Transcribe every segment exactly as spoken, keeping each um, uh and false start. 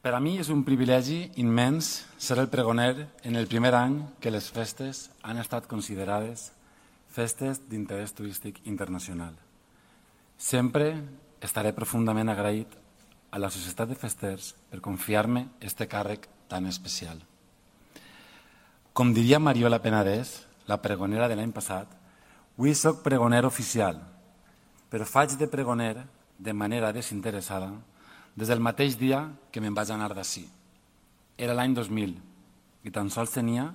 Per a mi és un privilegi immens ser el pregoner en el primer any que les festes han estat considerades festes d'interès turístic internacional. Sempre estaré profundament agraït a la Societat de Festers per confiar-me este càrrec tan especial. Com diria Mariola Penedès, la pregonera de l'any passat, avui soc pregoner oficial, però faig de pregoner de manera desinteressada des del mateix dia que me'n vaig anar d'ací. Era l'any dos mil i tan sols tenia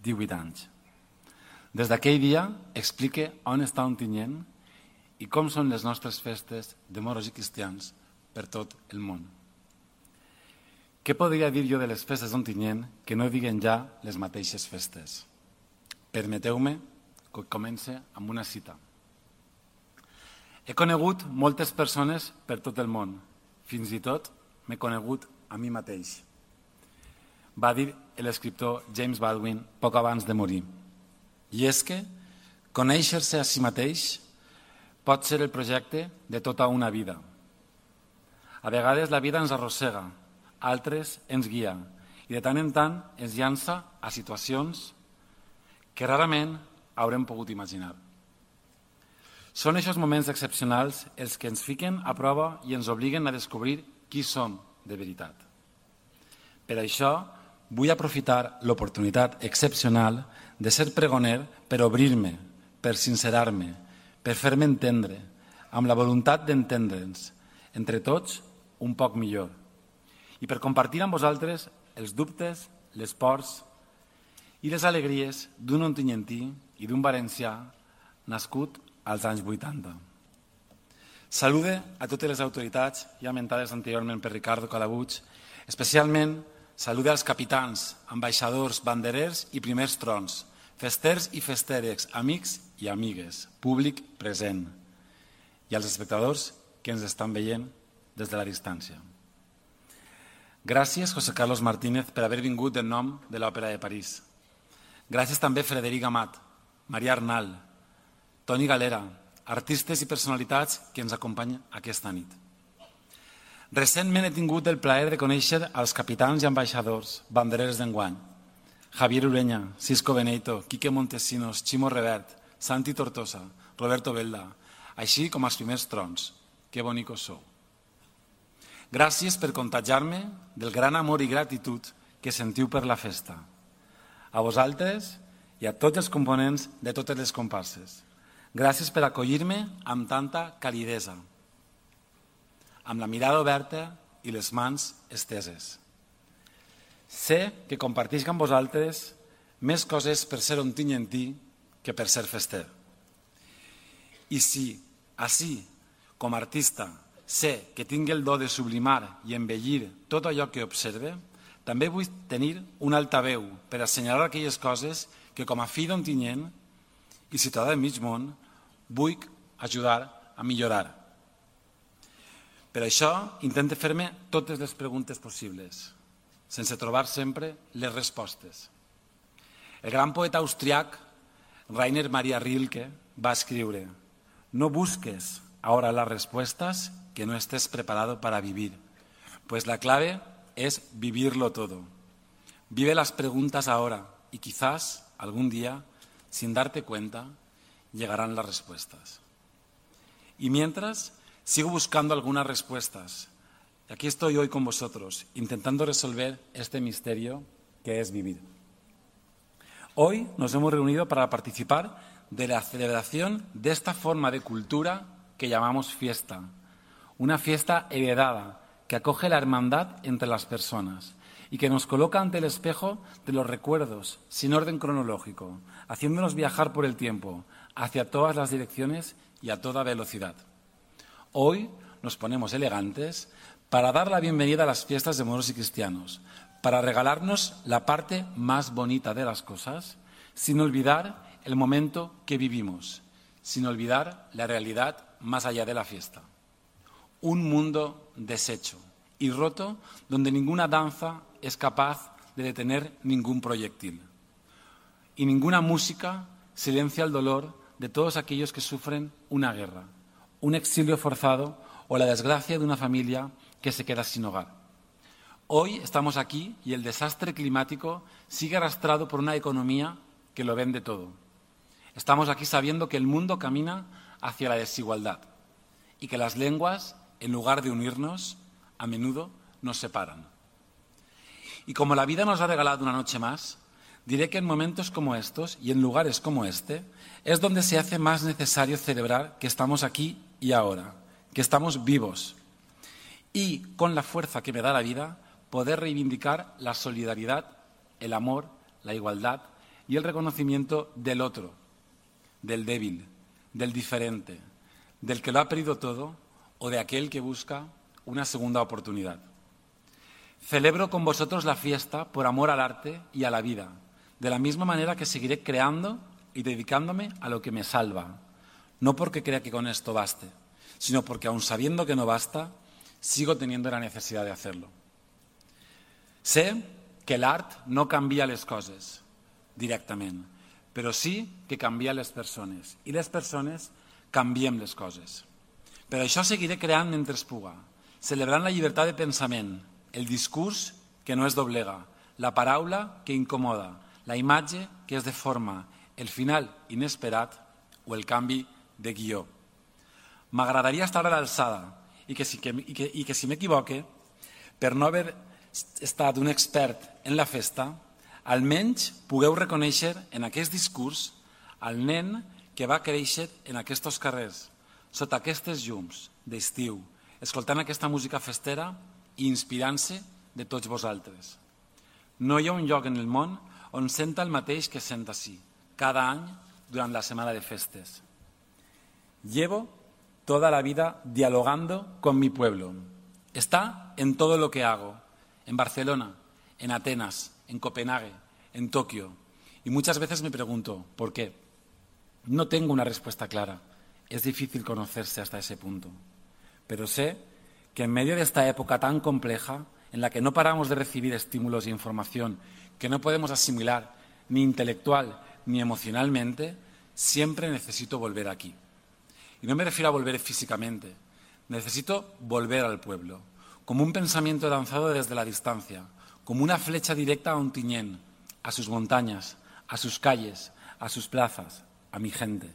divuit anys. Des d'aquell dia explique on està Ontinyent i com són les nostres festes de moros i cristians per tot el món. Què podria dir jo de les festes d'Ontinyent que no diguen ja les mateixes festes? Permeteu-me que comence amb una cita. He conegut moltes persones per tot el món. Fins i tot m'he conegut a mi mateix, va dir l'escriptor James Baldwin poc abans de morir. I és que conèixer-se a si mateix pot ser el projecte de tota una vida. A vegades la vida ens arrossega, altres ens guia i de tant en tant ens llança a situacions que rarament haurem pogut imaginar. Són aquests moments excepcionals els que ens fiquen a prova i ens obliguen a descobrir qui som de veritat. Per això vull aprofitar l'oportunitat excepcional de ser pregoner per obrir-me, per sincerar-me, per fer-me entendre, amb la voluntat d'entendre'ns, entre tots, un poc millor, i per compartir amb vosaltres els dubtes, les pors i les alegries d'un ontinyentí i d'un valencià nascut als anys vuitanta. Salude a totes les autoritats ja mentades anteriorment per Ricardo Calabuig, especialment salude als capitans, ambaixadors, banderers i primers trons, festers i festeres, amics i amigues, públic present, i als espectadors que ens estan veient des de la distància. Gràcies, José Carlos Martínez, per haver vingut en nom de l'Òpera de París. Gràcies també Frederic Amat, Maria Arnal, Toni Galera, artistes i personalitats que ens acompanyen aquesta nit. Recentment he tingut el plaer de conèixer els capitans i ambaixadors, banderers d'enguany, Javier Ureña, Cisco Benito, Quique Montesinos, Ximo Revert, Santi Tortosa, Roberto Belda, així com els primers trons. Que bonicos sou. Gràcies per contagiar-me del gran amor i gratitud que sentiu per la festa. A vosaltres i a tots els components de totes les comparses. Gràcies per acollir-me amb tanta calidesa, amb la mirada oberta i les mans esteses. Sé que comparteix amb vosaltres més coses per ser ontinyentí que per ser fester. I si, així, com a artista, sé que tinc el do de sublimar i embellir tot allò que observe, també vull tenir un altaveu per assenyalar aquelles coses que com a fill d'Ontinyent i ciutadà de mig món, vull ajudar a millorar. Per això intento fer-me totes les preguntes possibles, sense trobar sempre les respostes. El gran poeta austriac Rainer Maria Rilke va escriure: «No busques ahora las respuestas que no estés preparado para vivir, pues la clave es vivirlo todo. Vive las preguntas ahora y quizás algún día, sin darte cuenta, llegarán las respuestas». Y mientras, sigo buscando algunas respuestas. Y aquí estoy hoy con vosotros, intentando resolver este misterio que es vivir. Hoy nos hemos reunido para participar de la celebración de esta forma de cultura que llamamos fiesta. Una fiesta heredada que acoge la hermandad entre las personas y que nos coloca ante el espejo de los recuerdos, sin orden cronológico, haciéndonos viajar por el tiempo, hacia todas las direcciones y a toda velocidad. Hoy nos ponemos elegantes para dar la bienvenida a las fiestas de moros y cristianos, para regalarnos la parte más bonita de las cosas, sin olvidar el momento que vivimos, sin olvidar la realidad más allá de la fiesta. Un mundo deshecho y roto donde ninguna danza es capaz de detener ningún proyectil. Y ninguna música silencia el dolor de todos aquellos que sufren una guerra, un exilio forzado o la desgracia de una familia que se queda sin hogar. Hoy estamos aquí y el desastre climático sigue arrastrado por una economía que lo vende todo. Estamos aquí sabiendo que el mundo camina hacia la desigualdad y que las lenguas, en lugar de unirnos, a menudo nos separan. Y como la vida nos ha regalado una noche más, diré que en momentos como estos y en lugares como este es donde se hace más necesario celebrar que estamos aquí y ahora, que estamos vivos y, con la fuerza que me da la vida, poder reivindicar la solidaridad, el amor, la igualdad y el reconocimiento del otro, del débil, del diferente, del que lo ha perdido todo o de aquel que busca una segunda oportunidad. Celebro con vosotros la fiesta por amor al arte y a la vida, de la misma manera que seguiré creando y dedicándome a lo que me salva, no porque crea que con esto baste, sino porque aun sabiendo que no basta, sigo teniendo la necesidad de hacerlo. Sé que l'art no canvia les coses directament, però sí que canvia les persones i les persones canviem les coses. Per això seguiré creant mentre es puga, celebrant la llibertat de pensament, el discurs que no es doblega, la paraula que incomoda, la imatge que es deforma, el final inesperat o el canvi de guió. M'agradaria estar a l'alçada i que, si, que, i que, i que si m'equivoque, per no haver estat un expert en la festa, almenys pugueu reconèixer en aquest discurs el nen que va créixer en aquests carrers, sota aquestes llums d'estiu, escoltant aquesta música festera i inspirant-se de tots vosaltres. No hi ha un lloc en el món on senta el mateix que sent ací, cada any durant la setmana de festes. Llevo toda la vida dialogando con mi pueblo. Está en todo lo que hago, en Barcelona, en Atenas, en Copenhague, en Tokio. Y muchas veces me pregunto, ¿por qué? No tengo una respuesta clara. Es difícil conocerse hasta ese punto. Pero sé que en medio de esta época tan compleja, en la que no paramos de recibir estímulos e información que no podemos asimilar ni intelectual ni emocionalmente, siempre necesito volver aquí. Y no me refiero a volver físicamente, necesito volver al pueblo, como un pensamiento lanzado desde la distancia, como una flecha directa a Ontinyent, a sus montañas, a sus calles, a sus plazas, a mi gente.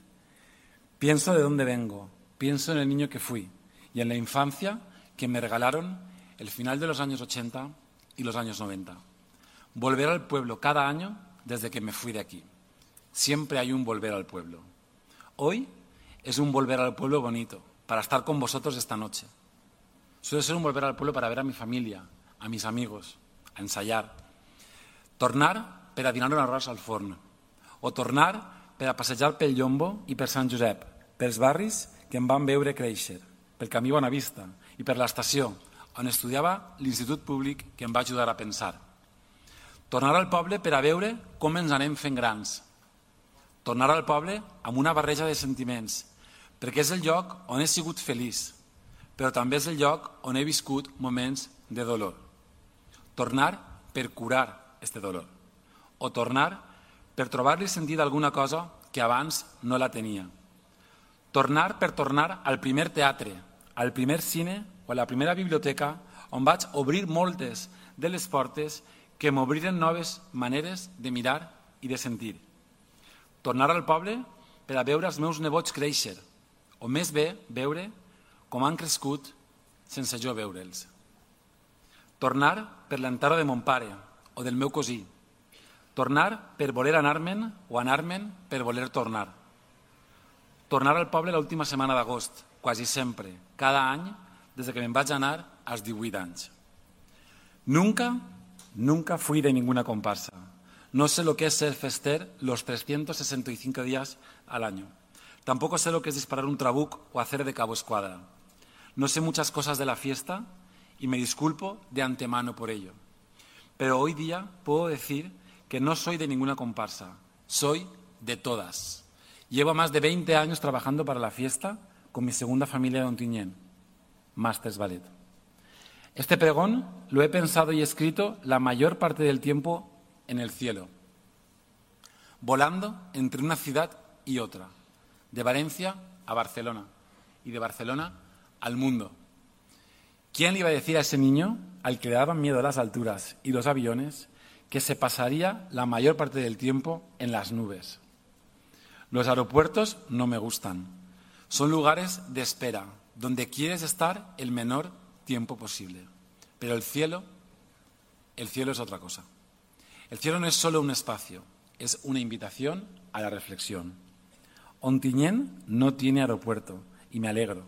Pienso de dónde vengo, pienso en el niño que fui y en la infancia que me regalaron el final de los años ochenta y los años noventa. Volver al pueblo cada año desde que me fui de aquí. Siempre hay un volver al pueblo. Hoy es un volver al pueblo bonito, para estar con vosotros esta noche. Suele ser un volver al pueblo para ver a mi familia, a mis amigos, a ensayar. Tornar per a dinar un arròs al forn. O tornar per a passejar pel Llombo i per Sant Josep, pels barris que em van veure créixer, pel camí Bonavista i per l'estació, on estudiava l'Institut Públic que em va ajudar a pensar. Tornar al poble per a veure com ens anem fent grans. Tornar al poble amb una barreja de sentiments, perquè és el lloc on he sigut feliç, però també és el lloc on he viscut moments de dolor. Tornar per curar este dolor. O tornar per trobar-li sentit a alguna cosa que abans no la tenia. Tornar per tornar al primer teatre, al primer cine o a la primera biblioteca on vaig obrir moltes de les portes que m'obriren noves maneres de mirar i de sentir. Tornar al poble per a veure els meus nebots créixer, o més bé veure com han crescut sense jo veure'ls. Tornar per l'enterro de mon pare o del meu cosí. Tornar per voler anar-me'n o anar-me'n per voler tornar. Tornar al poble l'última setmana d'agost, quasi sempre, cada any, des que me'n vaig anar als divuit anys. Nunca, nunca fui de ninguna comparsa. No sé lo que es ser fester los trescientos sesenta y cinco días al año. Tampoco sé lo que es disparar un trabuc o hacer de cabo escuadra. No sé muchas cosas de la fiesta y me disculpo de antemano por ello. Pero hoy día puedo decir que no soy de ninguna comparsa, soy de todas. Llevo más de veinte años trabajando para la fiesta con mi segunda familia de Ontinyent, Masters Ballet. Este pregón lo he pensado y escrito la mayor parte del tiempo en el cielo, volando entre una ciudad y otra, de Valencia a Barcelona y de Barcelona al mundo. ¿Quién le iba a decir a ese niño, al que le daban miedo las alturas y los aviones, que se pasaría la mayor parte del tiempo en las nubes? Los aeropuertos no me gustan. Son lugares de espera, donde quieres estar el menor tiempo posible. Pero el cielo, el cielo es otra cosa. El cielo no es solo un espacio, es una invitación a la reflexión. Ontinyent no tiene aeropuerto, y me alegro.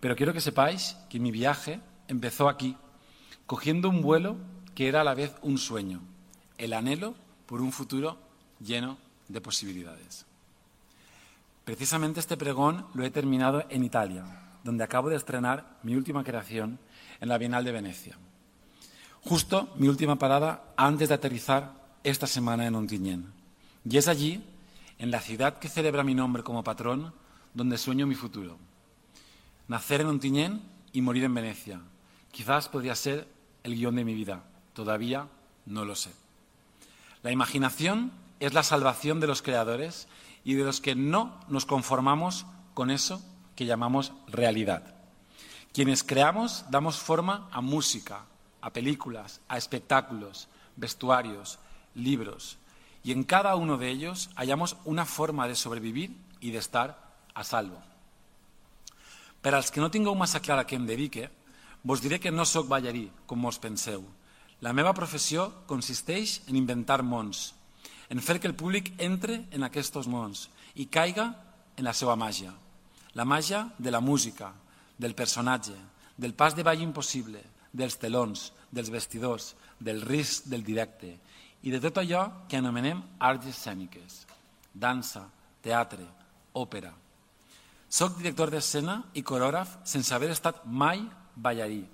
Pero quiero que sepáis que mi viaje empezó aquí, cogiendo un vuelo que era a la vez un sueño, el anhelo por un futuro lleno de posibilidades. Precisamente este pregón lo he terminado en Italia, donde acabo de estrenar mi última creación en la Bienal de Venecia. Justo mi última parada antes de aterrizar esta semana en Ontinyent. Y es allí, en la ciudad que celebra mi nombre como patrón, donde sueño mi futuro. Nacer en Ontinyent y morir en Venecia. Quizás podría ser el guión de mi vida. Todavía no lo sé. La imaginación es la salvación de los creadores y de los que no nos conformamos con eso que llamamos realidad. Quienes creamos damos forma a música, a películas, a espectáculos, vestuarios, libros, y en cada uno de ellos hallamos una forma de sobrevivir i d'estar a salvo. Per als que no tingueu massa clar a què em dedique, vos diré que no sóc ballarí, com mos penseu. La meva professió consisteix en inventar mons, en fer que el públic entre en aquests mons i caiga en la seva màgia. La màgia de la música, del personatge, del pas de ball impossible, dels telons, dels vestidors, del risc del directe i de tot allò que anomenem arts escèniques, dansa, teatre, òpera. Soc director d'escena i corògraf sense haver estat mai ballarí.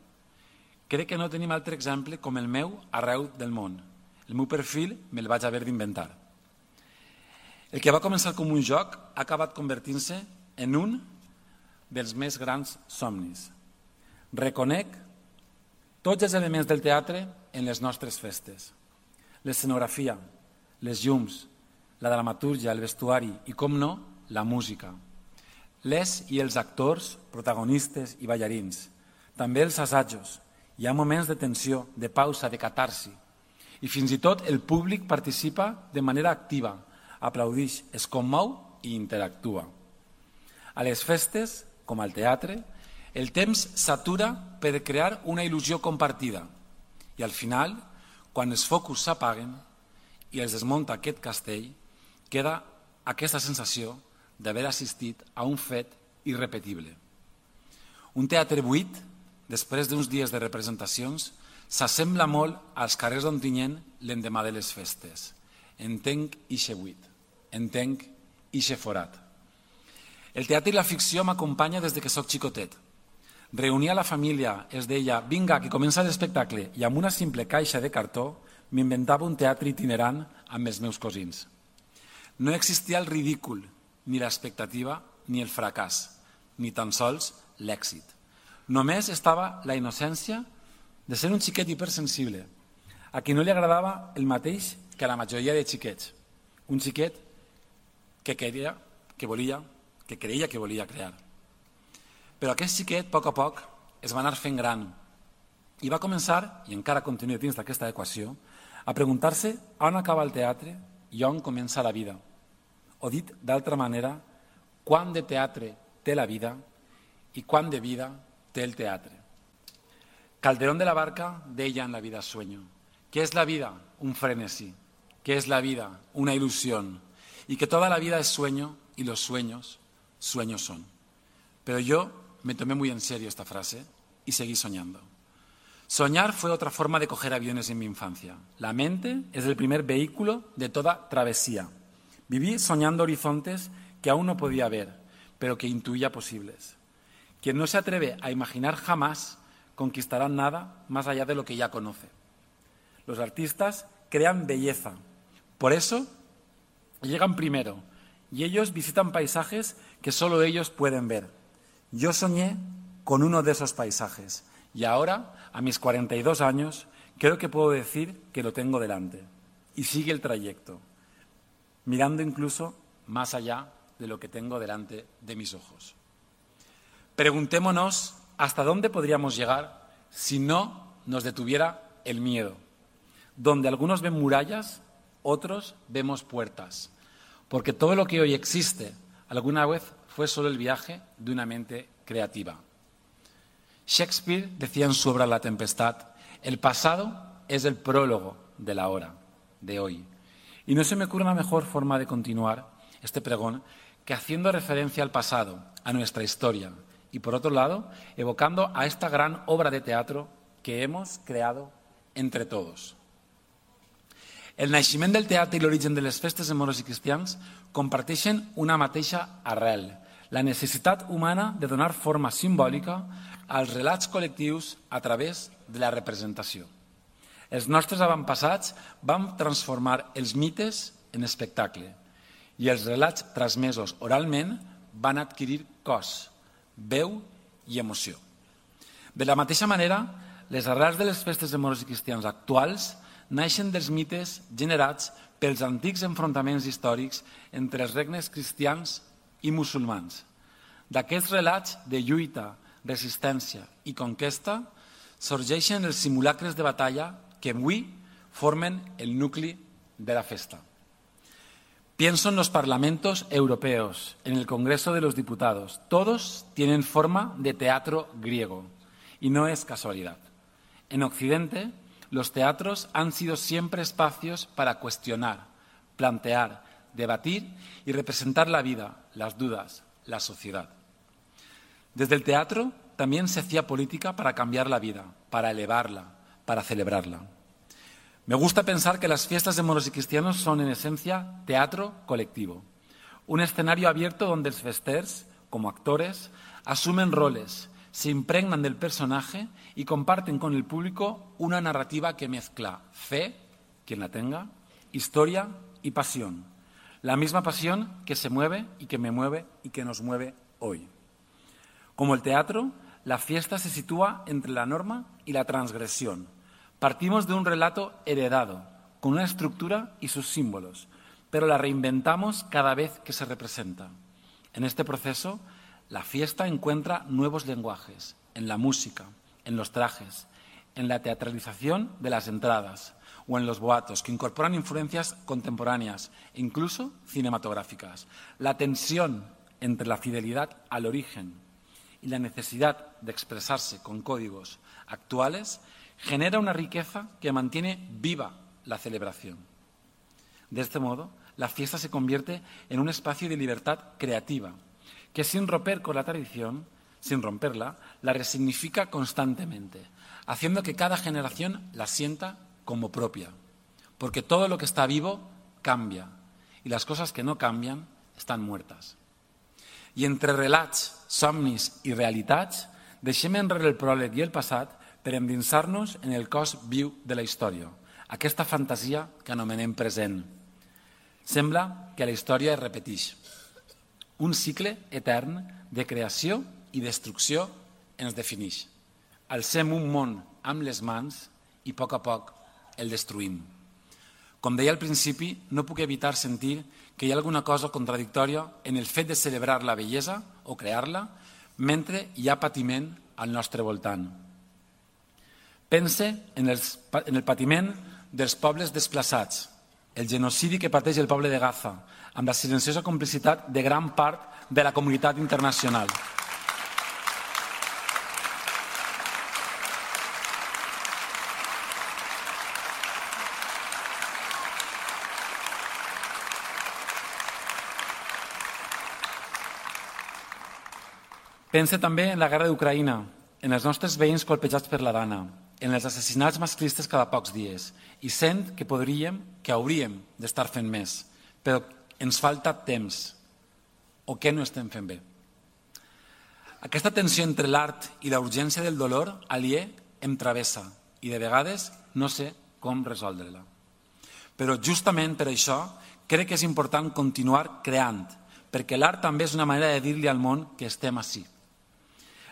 Crec que no tenim altre exemple com el meu arreu del món. El meu perfil me'l vaig haver d'inventar. El que va començar com un joc ha acabat convertint-se en un dels més grans somnis. Reconec tots els elements del teatre en les nostres festes. L'escenografia, les llums, la dramatúrgia, el vestuari i, com no, la música. Les i els actors, protagonistes i ballarins. També els assajos. Hi ha moments de tensió, de pausa, de catarsi. I fins i tot el públic participa de manera activa, aplaudix, es commou i interactua. A les festes, com al teatre, el temps s'atura per crear una il·lusió compartida. I al final, quan els focus s'apaguen i es desmunta aquest castell, queda aquesta sensació d'haver assistit a un fet irrepetible. Un teatre buit, després d'uns dies de representacions, s'assembla molt als carrers d'Ontinyent l'endemà de les festes. Entenc ixe buit, entenc ixe forat. El teatre i la ficció m'acompanya des de que soc xicotet. Reunia la família, es deia, vinga, que comença l'espectacle, i amb una simple caixa de cartó m'inventava un teatre itinerant amb els meus cosins. No existia el ridícul, ni l'expectativa, ni el fracàs, ni tan sols l'èxit. Només estava la innocència de ser un xiquet hipersensible, a qui no li agradava el mateix que a la majoria de xiquets. Un xiquet que creia que volia, que creia que volia crear. Però aquest xiquet, a poc a poc, es va anar fent gran i va començar, i encara continua dins d'aquesta equació, a preguntar-se on acaba el teatre i on comença la vida. O dit d'altra manera, quant de teatre té la vida i quant de vida té el teatre. Calderón de la Barca deia en La vida sueño, ¿qué es la vida? Un frenesí. ¿Qué es la vida? Una ilusión. Y que toda la vida es sueño y los sueños, sueños son. Pero yo me tomé muy en serio esta frase y seguí soñando. Soñar fue otra forma de coger aviones en mi infancia. La mente es el primer vehículo de toda travesía. Viví soñando horizontes que aún no podía ver, pero que intuía posibles. Quien no se atreve a imaginar jamás conquistará nada más allá de lo que ya conoce. Los artistas crean belleza. Por eso llegan primero y ellos visitan paisajes que solo ellos pueden ver. Yo soñé con uno de esos paisajes y ahora, a mis cuarenta y dos años, creo que puedo decir que lo tengo delante. Y sigue el trayecto, mirando incluso más allá de lo que tengo delante de mis ojos. Preguntémonos hasta dónde podríamos llegar si no nos detuviera el miedo. Donde algunos ven murallas, otros vemos puertas. Porque todo lo que hoy existe alguna vez fue solo el viaje de una mente creativa. Shakespeare decía en su obra La Tempestad, el pasado es el prólogo de la hora, de hoy. Y no se me ocurre una mejor forma de continuar este pregón que haciendo referencia al pasado, a nuestra historia, y por otro lado, evocando a esta gran obra de teatro que hemos creado entre todos. El naixement del teatre i l'origen de les festes de moros i cristians comparteixen una mateixa arrel, la necessitat humana de donar forma simbòlica als relats col·lectius a través de la representació. Els nostres avantpassats van transformar els mites en espectacle i els relats transmesos oralment van adquirir cos, veu i emoció. De la mateixa manera, les arrels de les festes de moros i cristians actuals naixen dels mites generats pels antics enfrontaments històrics entre els regnes cristians i musulmans. D'aquests relats de lluita, resistència i conquesta sorgeixen els simulacres de batalla que avui formen el nucli de la festa. Pienso en los parlamentos europeos, en el Congreso de los Diputados. Todos tienen forma de teatro griego y no es casualidad. En Occidente, los teatros han sido siempre espacios para cuestionar, plantear, debatir y representar la vida, las dudas, la sociedad. Desde el teatro también se hacía política para cambiar la vida, para elevarla, para celebrarla. Me gusta pensar que las fiestas de moros y cristianos son en esencia teatro colectivo, un escenario abierto donde los festers, como actores, asumen roles, se impregnan del personaje y comparten con el público una narrativa que mezcla fe, quien la tenga, historia y pasión. La misma pasión que se mueve y que me mueve y que nos mueve hoy. Como el teatro, la fiesta se sitúa entre la norma y la transgresión. Partimos de un relato heredado, con una estructura y sus símbolos, pero la reinventamos cada vez que se representa. En este proceso, la fiesta encuentra nuevos lenguajes, en la música, en los trajes, en la teatralización de las entradas o en los boatos, que incorporan influencias contemporáneas e incluso cinematográficas. La tensión entre la fidelidad al origen y la necesidad de expresarse con códigos actuales genera una riqueza que mantiene viva la celebración. De este modo, la fiesta se convierte en un espacio de libertad creativa, que sin romper con la tradición, sin romperla, la resignifica constantemente, haciendo que cada generación la sienta como propia, porque todo lo que está vivo cambia y las cosas que no cambian están muertas. I entre relats, somnis i realitats, deixem enrere el pròleg i el passat per endinsar-nos en el cos viu de la història, aquesta fantasia que anomenem present. Sembla que la història es repeteix. Un cicle etern de creació i destrucció ens defineix. Alcem un món amb les mans i a poc a poc el destruïm. Com deia al principi, no puc evitar sentir que hi ha alguna cosa contradictòria en el fet de celebrar la bellesa o crear-la mentre hi ha patiment al nostre voltant. Pense en, els, en el patiment dels pobles desplaçats, el genocidi que pateix el poble de Gaza, amb la silenciosa complicitat de gran part de la comunitat internacional. Pense també en la guerra d'Ucraïna, en els nostres veïns colpejats per la Dana, en els assassinats masclistes cada pocs dies, i sent que podríem, que hauríem d'estar fent més, però ens falta temps, o què no estem fent bé. Aquesta tensió entre l'art i la urgència del dolor aliè em travessa i de vegades no sé com resoldre-la. Però justament per això crec que és important continuar creant, perquè l'art també és una manera de dir-li al món que estem ací.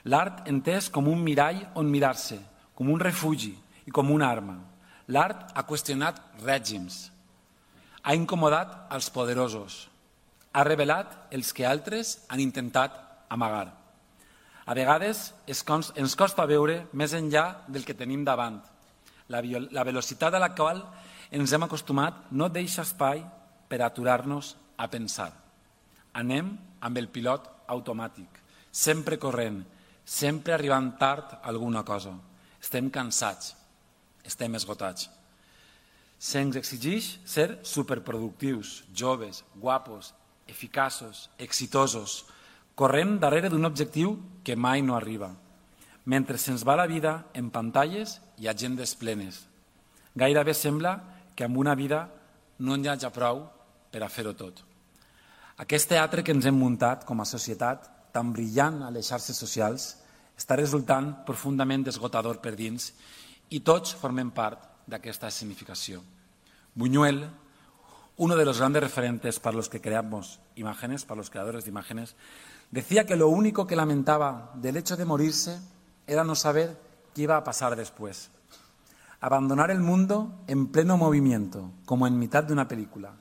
L'art entès com un mirall on mirar-se, com un refugi i com una arma. L'art ha qüestionat règims, ha incomodat els poderosos, ha revelat els que altres han intentat amagar. A vegades ens costa veure més enllà del que tenim davant. La, la velocitat a la qual ens hem acostumat no deixa espai per aturar-nos a pensar. Anem amb el pilot automàtic, sempre corrent, sempre arribant tard a alguna cosa. Estem cansats, estem esgotats. Se'ns exigeix ser superproductius, joves, guapos, eficaços, exitosos, corrent darrere d'un objectiu que mai no arriba, mentre se'ns va la vida en pantalles i agendes plenes. Gairebé sembla que amb una vida no n'hi hagi prou per a fer-ho tot. Aquest teatre que ens hem muntat com a societat, tan brillant a les xarxes socials, està resultant profundament esgotador per dins i tots formem part d'aquesta significació. Buñuel, uno de los grandes referentes para los que creamos imágenes, para los creadores de imágenes, decía que lo único que lamentaba del hecho de morirse era no saber qué iba a pasar después. Abandonar el mundo en pleno movimiento, como en mitad de una película.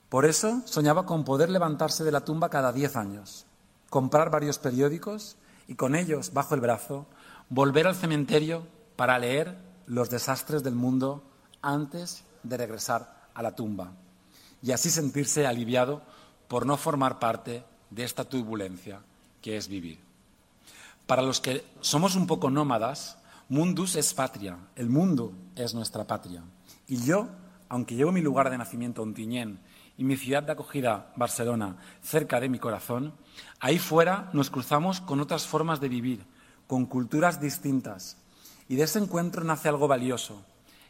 Por eso soñaba con poder levantarse de la tumba cada diez años, comprar varios periódicos y con ellos bajo el brazo volver al cementerio para leer los desastres del mundo antes de regresar a la tumba y así sentirse aliviado por no formar parte de esta turbulencia que es vivir. Para los que somos un poco nómadas, Mundus es patria, el mundo es nuestra patria. Y yo, aunque llevo mi lugar de nacimiento Ontinyent y mi ciudad de acogida, Barcelona, cerca de mi corazón, ahí fuera nos cruzamos con otras formas de vivir, con culturas distintas. Y de ese encuentro nace algo valioso.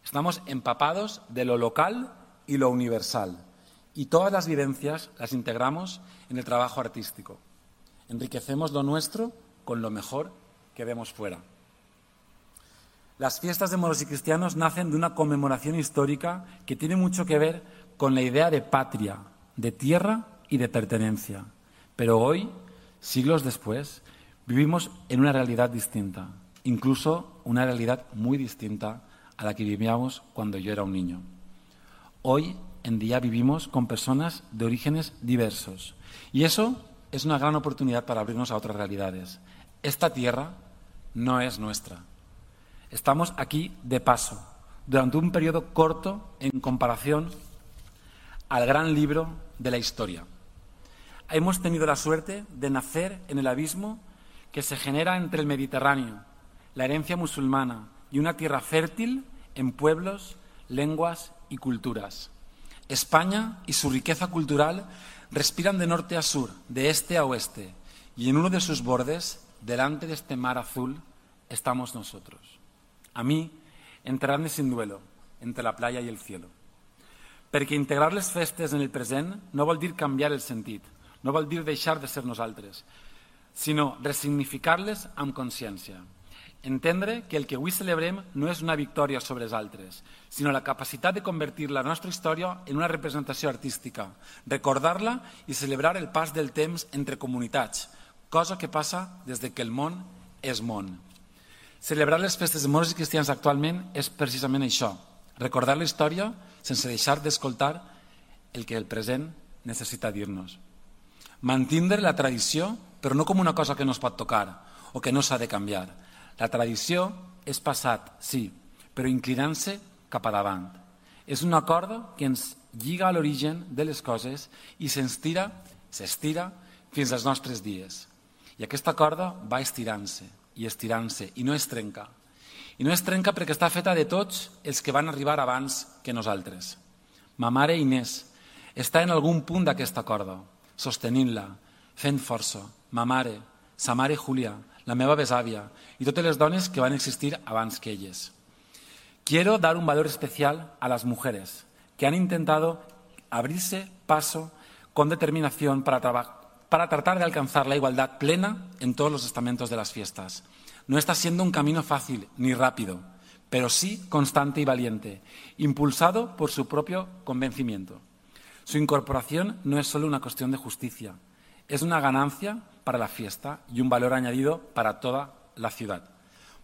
Estamos empapados de lo local y lo universal. Y todas las vivencias las integramos en el trabajo artístico. Enriquecemos lo nuestro con lo mejor que vemos fuera. Las fiestas de moros y cristianos nacen de una conmemoración histórica que tiene mucho que ver con la idea de patria, de tierra y de pertenencia. Pero hoy, siglos después, vivimos en una realidad distinta, incluso una realidad muy distinta a la que vivíamos cuando yo era un niño. Hoy en día vivimos con personas de orígenes diversos y eso es una gran oportunidad para abrirnos a otras realidades. Esta tierra no es nuestra. Estamos aquí de paso, durante un periodo corto en comparación al gran libro de la historia. Hemos tenido la suerte de nacer en el abismo que se genera entre el Mediterráneo, la herencia musulmana y una tierra fértil en pueblos, lenguas y culturas. España y su riqueza cultural respiran de norte a sur, de este a oeste, y en uno de sus bordes, delante de este mar azul, estamos nosotros. A mí, enterrar-me sin duelo, entre la playa i el cielo. Perquè integrar les festes en el present no vol dir canviar el sentit, no vol dir deixar de ser nosaltres, sinó resignificar-les amb consciència. Entendre que el que avui celebrem no és una victòria sobre els altres, sinó la capacitat de convertir la nostra història en una representació artística, recordar-la i celebrar el pas del temps entre comunitats, cosa que passa des que el món és món. Celebrar les festes de moros i cristians actualment és precisament això, recordar la història sense deixar d'escoltar el que el present necessita dir-nos. Mantindre la tradició, però no com una cosa que no es pot tocar o que no s'ha de canviar. La tradició és passat, sí, però inclinant-se cap a davant. És una corda que ens lliga a l'origen de les coses i s'estira, s'estira fins als nostres dies. I aquesta corda va estirant-se i estirant-se i no es trenca. I no es trenca perquè està feta de tots els que van arribar abans que nosaltres. Ma mare Inés està en algun punt d'aquesta corda, sostenint-la, fent força. Ma mare, sa mare Júlia, la meva besàvia y totes les dones que van existir abans que elles. Quiero dar un valor especial a las mujeres que han intentado abrirse paso con determinación para, para tratar de alcanzar la igualdad plena en todos los estamentos de las fiestas. No está siendo un camino fácil ni rápido, pero sí constante y valiente, impulsado por su propio convencimiento. Su incorporación no es solo una cuestión de justicia, es una ganancia para la fiesta y un valor añadido para toda la ciudad.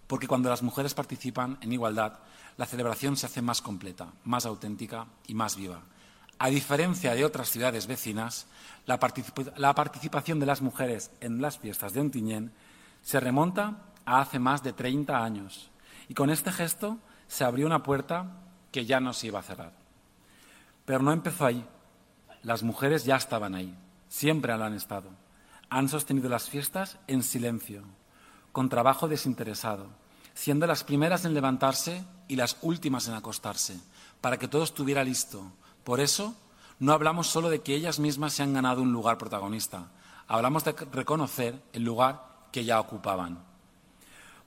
Porque cuando las mujeres participan en igualdad, la celebración se hace más completa, más auténtica y más viva. A diferencia de otras ciudades vecinas, la, particip- la participación de las mujeres en las fiestas de Ontinyent Se remonta a hace más de treinta años y con este gesto se abrió una puerta que ya no se iba a cerrar. Pero no empezó ahí. Las mujeres ya estaban ahí, siempre lo han estado. Han sostenido las fiestas en silencio, con trabajo desinteresado, siendo las primeras en levantarse y las últimas en acostarse, para que todo estuviera listo. Por eso, no hablamos solo de que ellas mismas se han ganado un lugar protagonista, hablamos de reconocer el lugar que ya ocupaban.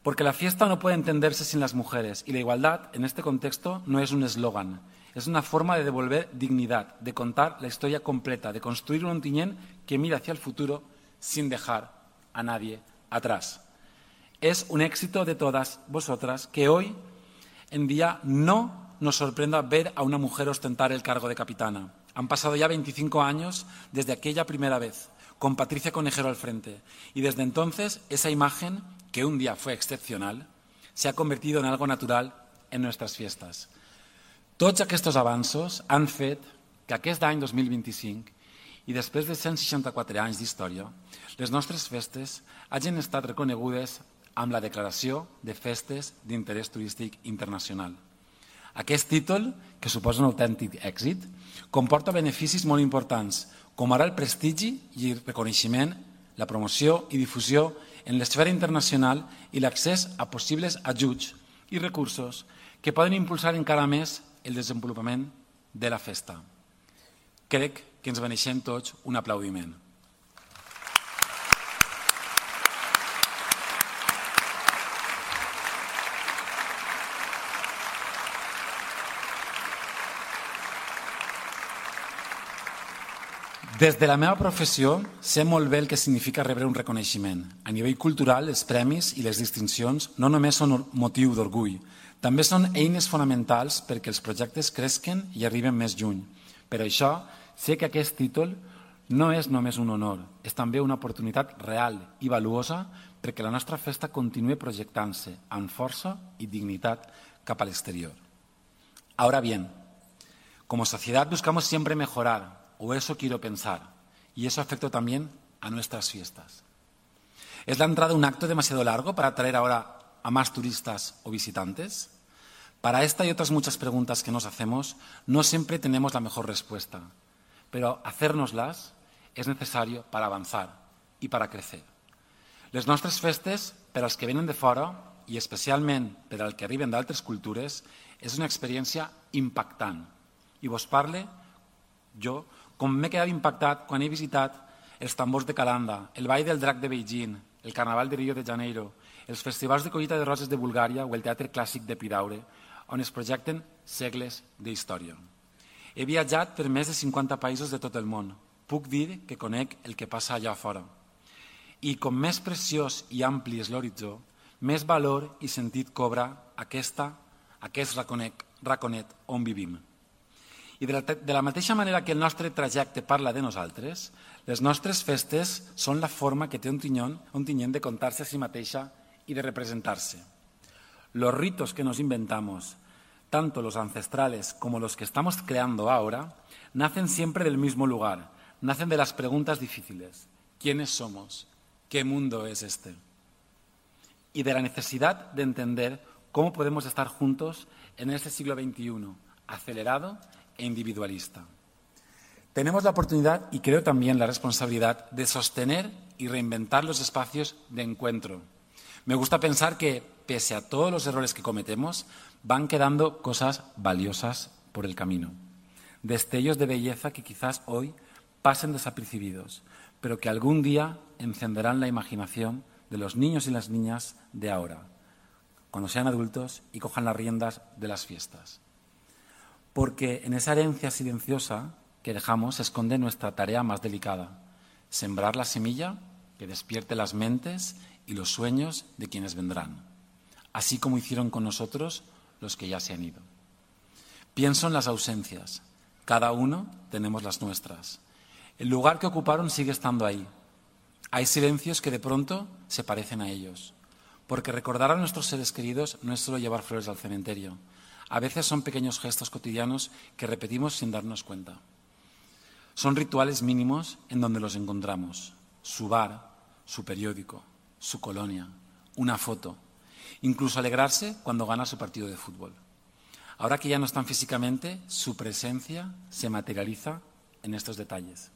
Porque la fiesta no puede entenderse sin las mujeres y la igualdad en este contexto no es un eslogan, es una forma de devolver dignidad, de contar la historia completa, de construir un Ontinyent que mira hacia el futuro sin dejar a nadie atrás. Es un éxito de todas vosotras que hoy en día no nos sorprenda ver a una mujer ostentar el cargo de capitana. Han pasado ya veinticinco años desde aquella primera vez, con Patricia Conejero al frente, y desde entonces esa imagen, que un día fue excepcional, se ha convertido en algo natural en nuestras fiestas. Tots aquests avanços han fet que aquest any dos mil vint-i-cinc i després de cent seixanta-quatre anys d'història, les nostres festes hagin estat reconegudes amb la Declaració de Festes d'Interès Turístic Internacional. Aquest títol, que suposa un autèntic èxit, comporta beneficis molt importants, com ara el prestigi i el reconeixement, la promoció i difusió en l'esfera internacional i l'accés a possibles ajuts i recursos que poden impulsar encara més el desenvolupament de la festa. Crec que ens mereixem tots un aplaudiment. Des de la meva professió sé molt bé el que significa rebre un reconeixement. A nivell cultural, els premis i les distincions no només són motiu d'orgull, també són eines fonamentals perquè els projectes cresquen i arriben més lluny. Per això, sé que aquest títol no és només un honor, és també una oportunitat real i valuosa perquè la nostra festa continuï projectant-se amb força i dignitat cap a l'exterior. Ahora bien, como sociedad buscamos siempre mejorar, o eso quiero pensar, y eso afecta también a nuestras fiestas. ¿Es la entrada un acto demasiado largo para atraer ahora a más turistas o visitantes? Para esta y otras muchas preguntas que nos hacemos, no siempre tenemos la mejor respuesta, pero hacérnoslas es necesario para avanzar i para crecer. Les nostres festes, per als que venen de fora, i especialment per als que arriben d'altres cultures, és una experiència impactant. I vos parle, jo, com m'he quedat impactat quan he visitat els tambors de Calanda, el Ball del Drac de Beijing, el Carnaval de Rio de Janeiro, els festivals de collita de roses de Bulgària o el Teatre Clàssic de Piraure, on es projecten segles d'història. He viatjat per més de cinquanta països de tot el món. Puc dir que conec el que passa allà fora. I com més preciós i ampli és l'horitzó, més valor i sentit cobra aquesta, aquest raconet, raconet on vivim. I de la, de la mateixa manera que el nostre trajecte parla de nosaltres, les nostres festes són la forma que té Ontinyent de contar-se a si mateixa y de representarse. Los ritos que nos inventamos, tanto los ancestrales como los que estamos creando ahora, nacen siempre del mismo lugar, nacen de las preguntas difíciles. ¿Quiénes somos? ¿Qué mundo es este? Y de la necesidad de entender cómo podemos estar juntos en este siglo veintiuno, acelerado e individualista. Tenemos la oportunidad y creo también la responsabilidad de sostener y reinventar los espacios de encuentro. Me gusta pensar que, pese a todos los errores que cometemos, van quedando cosas valiosas por el camino. Destellos de belleza que quizás hoy pasen desapercibidos, pero que algún día encenderán la imaginación de los niños y las niñas de ahora, cuando sean adultos y cojan las riendas de las fiestas. Porque en esa herencia silenciosa que dejamos se esconde nuestra tarea más delicada, sembrar la semilla que despierte las mentes y los sueños de quienes vendrán, así como hicieron con nosotros los que ya se han ido. Pienso en las ausencias, cada uno tenemos las nuestras. El lugar que ocuparon sigue estando ahí. Hay silencios que de pronto se parecen a ellos, porque recordar a nuestros seres queridos no es solo llevar flores al cementerio. A veces son pequeños gestos cotidianos que repetimos sin darnos cuenta. Son rituales mínimos en donde los encontramos. Su bar, su periódico, su colonia, una foto, incluso alegrarse cuando gana su partido de fútbol. Ahora que ya no están físicamente, su presencia se materializa en estos detalles.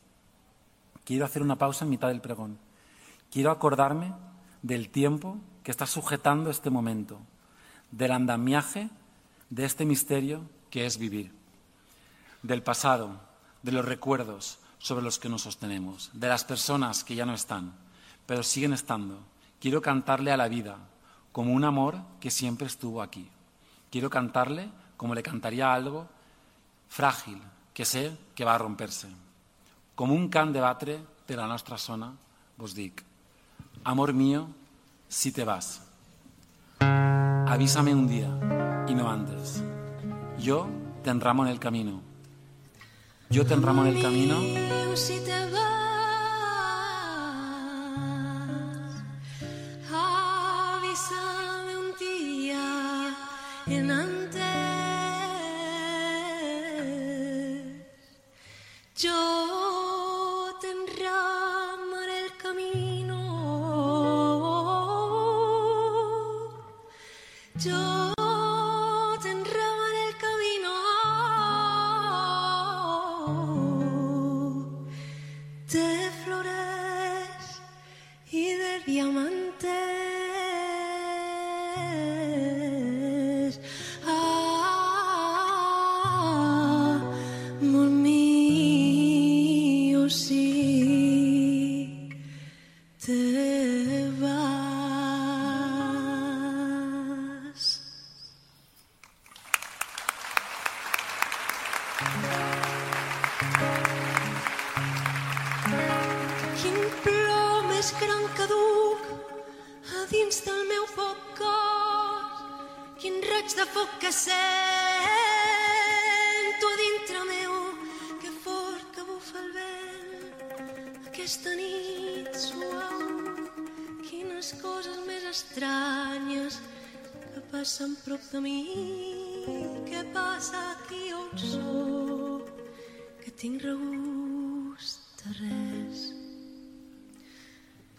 Quiero hacer una pausa en mitad del pregón. Quiero acordarme del tiempo que está sujetando este momento, del andamiaje de este misterio que es vivir, del pasado, de los recuerdos sobre los que nos sostenemos, de las personas que ya no están, pero siguen estando. Quiero cantarle a la vida como un amor que siempre estuvo aquí. Quiero cantarle como le cantaría algo frágil, que sé que va a romperse. Com un cant de batre de la nostra zona, vos dic, amor mío, si te vas, avísame un día y no antes. Yo te enramo en el camino. Yo te enramo en el camino. Si te vas, avísame un día en antes. Yo te enramo en el camino. Yo te enramo en el camino de flores y de diamantes. Ah, amor mío, si te vas. Quin plor més gran que duc a dins del meu poc cor, quin raig de foc que sento a dintre meu, que fort que bufa el vent aquesta nit suau, quines coses més estranyes que passen prop de mi, què passa aquí on soc, que tinc regust de res.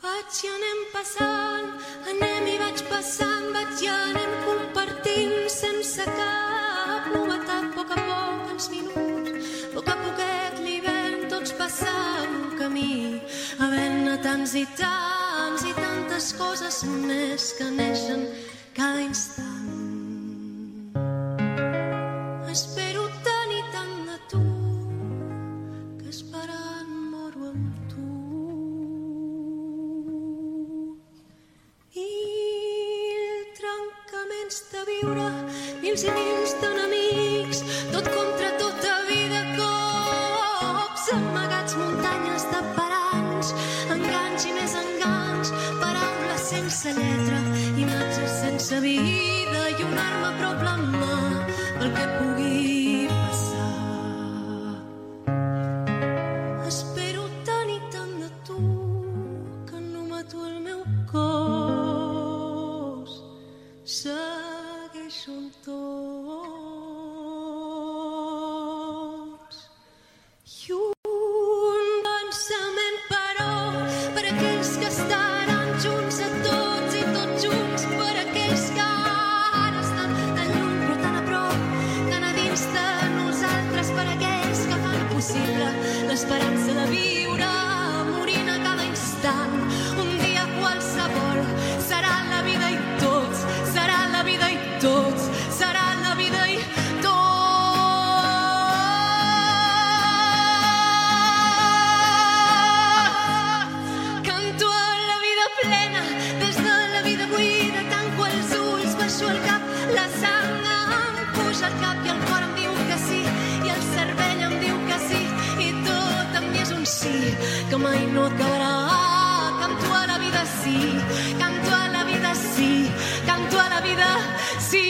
Vaig i anem passant, anem i vaig passant, vaig i anem compartint sense cap novetat, a poc a poc els minuts, a poc a poquet l'hivern, tots passant un camí, havent-ne tants i tants i tantes coses més que neixen cada instant. Espero tant i tant de tu, que esperant moro amb tu. I el trencament de viure, mils i mils d'enemics, tot contra tota vida, cops amagats, muntanyes de paranys, enganys i més enganys, paraules sense lletra, imatges sense vida i una arma a prop la mà pel que pugui passar. Espero tant i tant de tu que no mato el meu cos, segueixo amb tots. I un pensament, però, per aquells que estaran junts a tots i tots junts, per aquells que ara estan tan lluny però tan a prop, tan a dins de nosaltres, per aquells que fan possible l'esperança de viure, morint a cada instant. Un dia qualsevol serà la vida i tots, serà la vida i tots, serà la vida i tots. Canto a la vida plena, des de la vida buida, tanco els ulls, baixo el cap, la sang em puja al cap i el cor em diu que sí, i el cervell em diu que sí, i tot en mi és un sí, que mai no acabarà. Canto a la vida sí, canto a la vida sí, canto a la vida sí.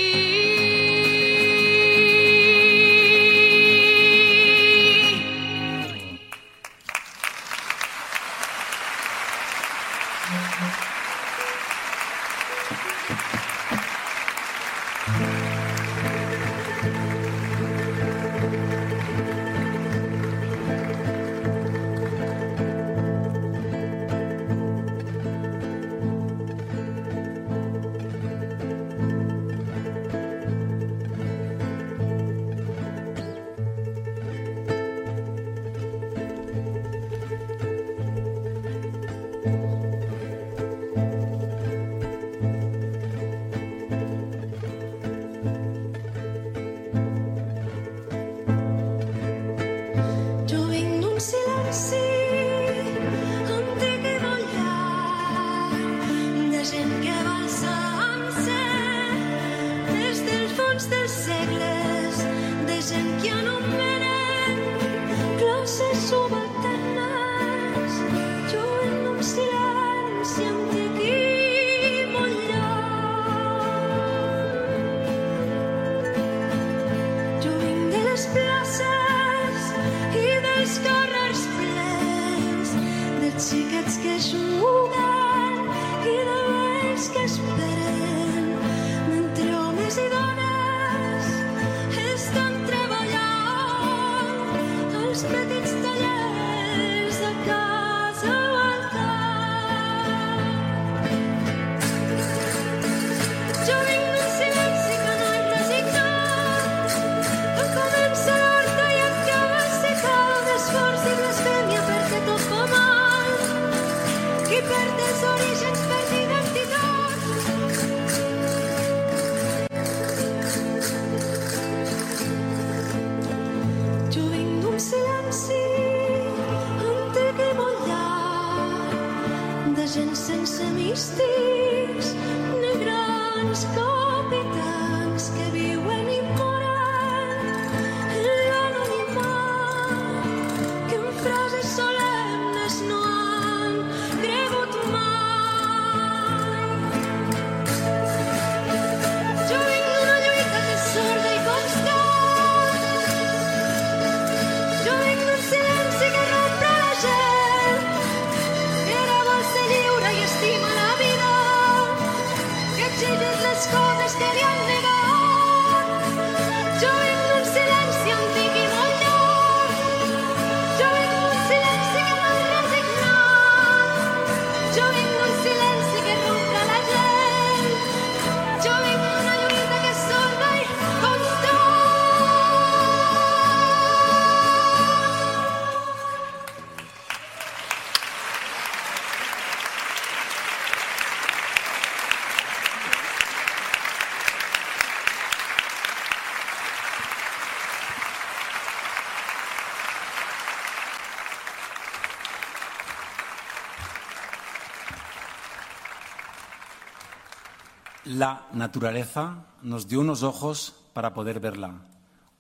La naturaleza nos dio unos ojos para poder verla,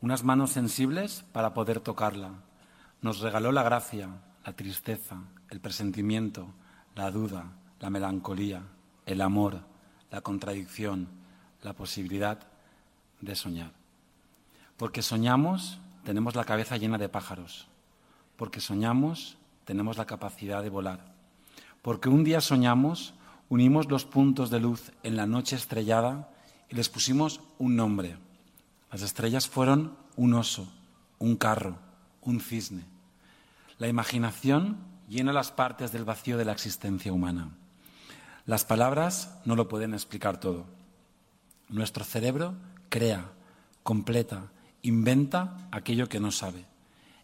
unas manos sensibles para poder tocarla. Nos regaló la gracia, la tristeza, el presentimiento, la duda, la melancolía, el amor, la contradicción, la posibilidad de soñar. Porque soñamos, tenemos la cabeza llena de pájaros. Porque soñamos, tenemos la capacidad de volar. Porque un día soñamos, unimos los puntos de luz en la noche estrellada y les pusimos un nombre. Las estrellas fueron un oso, un carro, un cisne. La imaginación llena las partes del vacío de la existencia humana. Las palabras no lo pueden explicar todo. Nuestro cerebro crea, completa, inventa aquello que no sabe.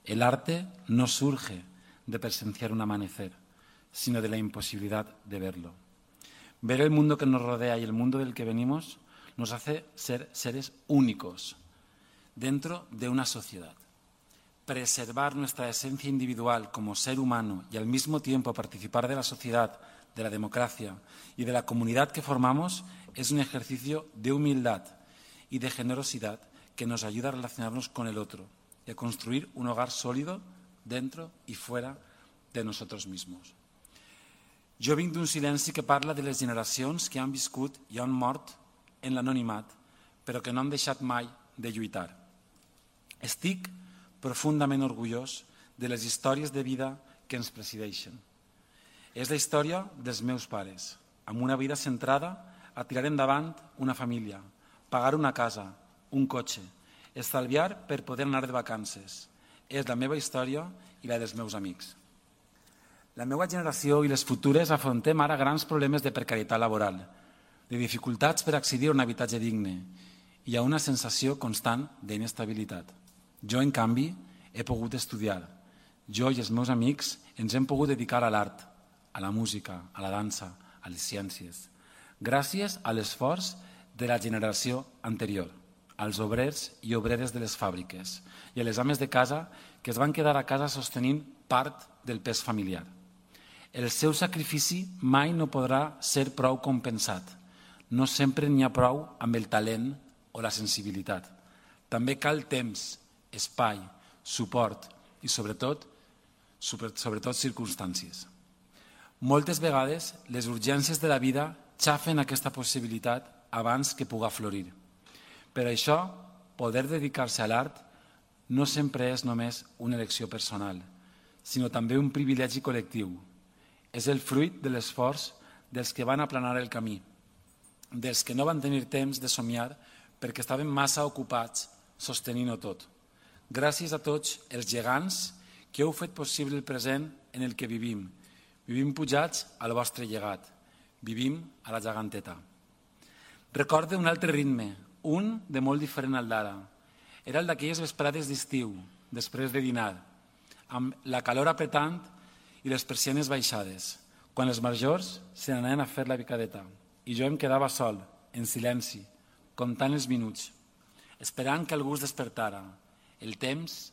El arte no surge de presenciar un amanecer, sino de la imposibilidad de verlo. Ver el mundo que nos rodea y el mundo del que venimos nos hace ser seres únicos dentro de una sociedad. Preservar nuestra esencia individual como ser humano y al mismo tiempo participar de la sociedad, de la democracia y de la comunidad que formamos es un ejercicio de humildad y de generosidad que nos ayuda a relacionarnos con el otro y a construir un hogar sólido dentro i fora de nosaltres mismos. Jo vinc d'un silenci que parla de les generacions que han viscut i han mort en l'anonimat, però que no han deixat mai de lluitar. Estic profundament orgullós de les històries de vida que ens presideixen. És la història dels meus pares, amb una vida centrada a tirar endavant una família, pagar una casa, un cotxe, estalviar per poder anar de vacances. És la meva història i la dels meus amics. La meva generació i les futures afrontem ara grans problemes de precarietat laboral, de dificultats per accedir a un habitatge digne i hi ha una sensació constant d'inestabilitat. Jo, en canvi, he pogut estudiar. Jo i els meus amics ens hem pogut dedicar a l'art, a la música, a la dansa, a les ciències, gràcies a l'esforç de la generació anterior, als obrers i obreres de les fàbriques i a les ames de casa que es van quedar a casa sostenint part del pes familiar. El seu sacrifici mai no podrà ser prou compensat. No sempre n'hi ha prou amb el talent o la sensibilitat. També cal temps, espai, suport i, sobretot, sobretot circumstàncies. Moltes vegades, les urgències de la vida xafen aquesta possibilitat abans que puga florir. Per això, poder dedicar-se a l'art no sempre és només una elecció personal, sinó també un privilegi col·lectiu. És el fruit de l'esforç dels que van aplanar el camí, dels que no van tenir temps de somiar perquè estaven massa ocupats sostenint-ho tot. Gràcies a tots els gegants que heu fet possible el present en el que vivim. Vivim pujats al vostre llegat. Vivim a la geganteta. Recorde un altre ritme, un de molt diferent al d'ara. Era el d'aquelles vesprades d'estiu, després de dinar, amb la calor apretant i les persianes baixades, quan els majors se n'anaven a fer la picadeta i jo em quedava sol, en silenci, comptant els minuts, esperant que algú es despertara. El temps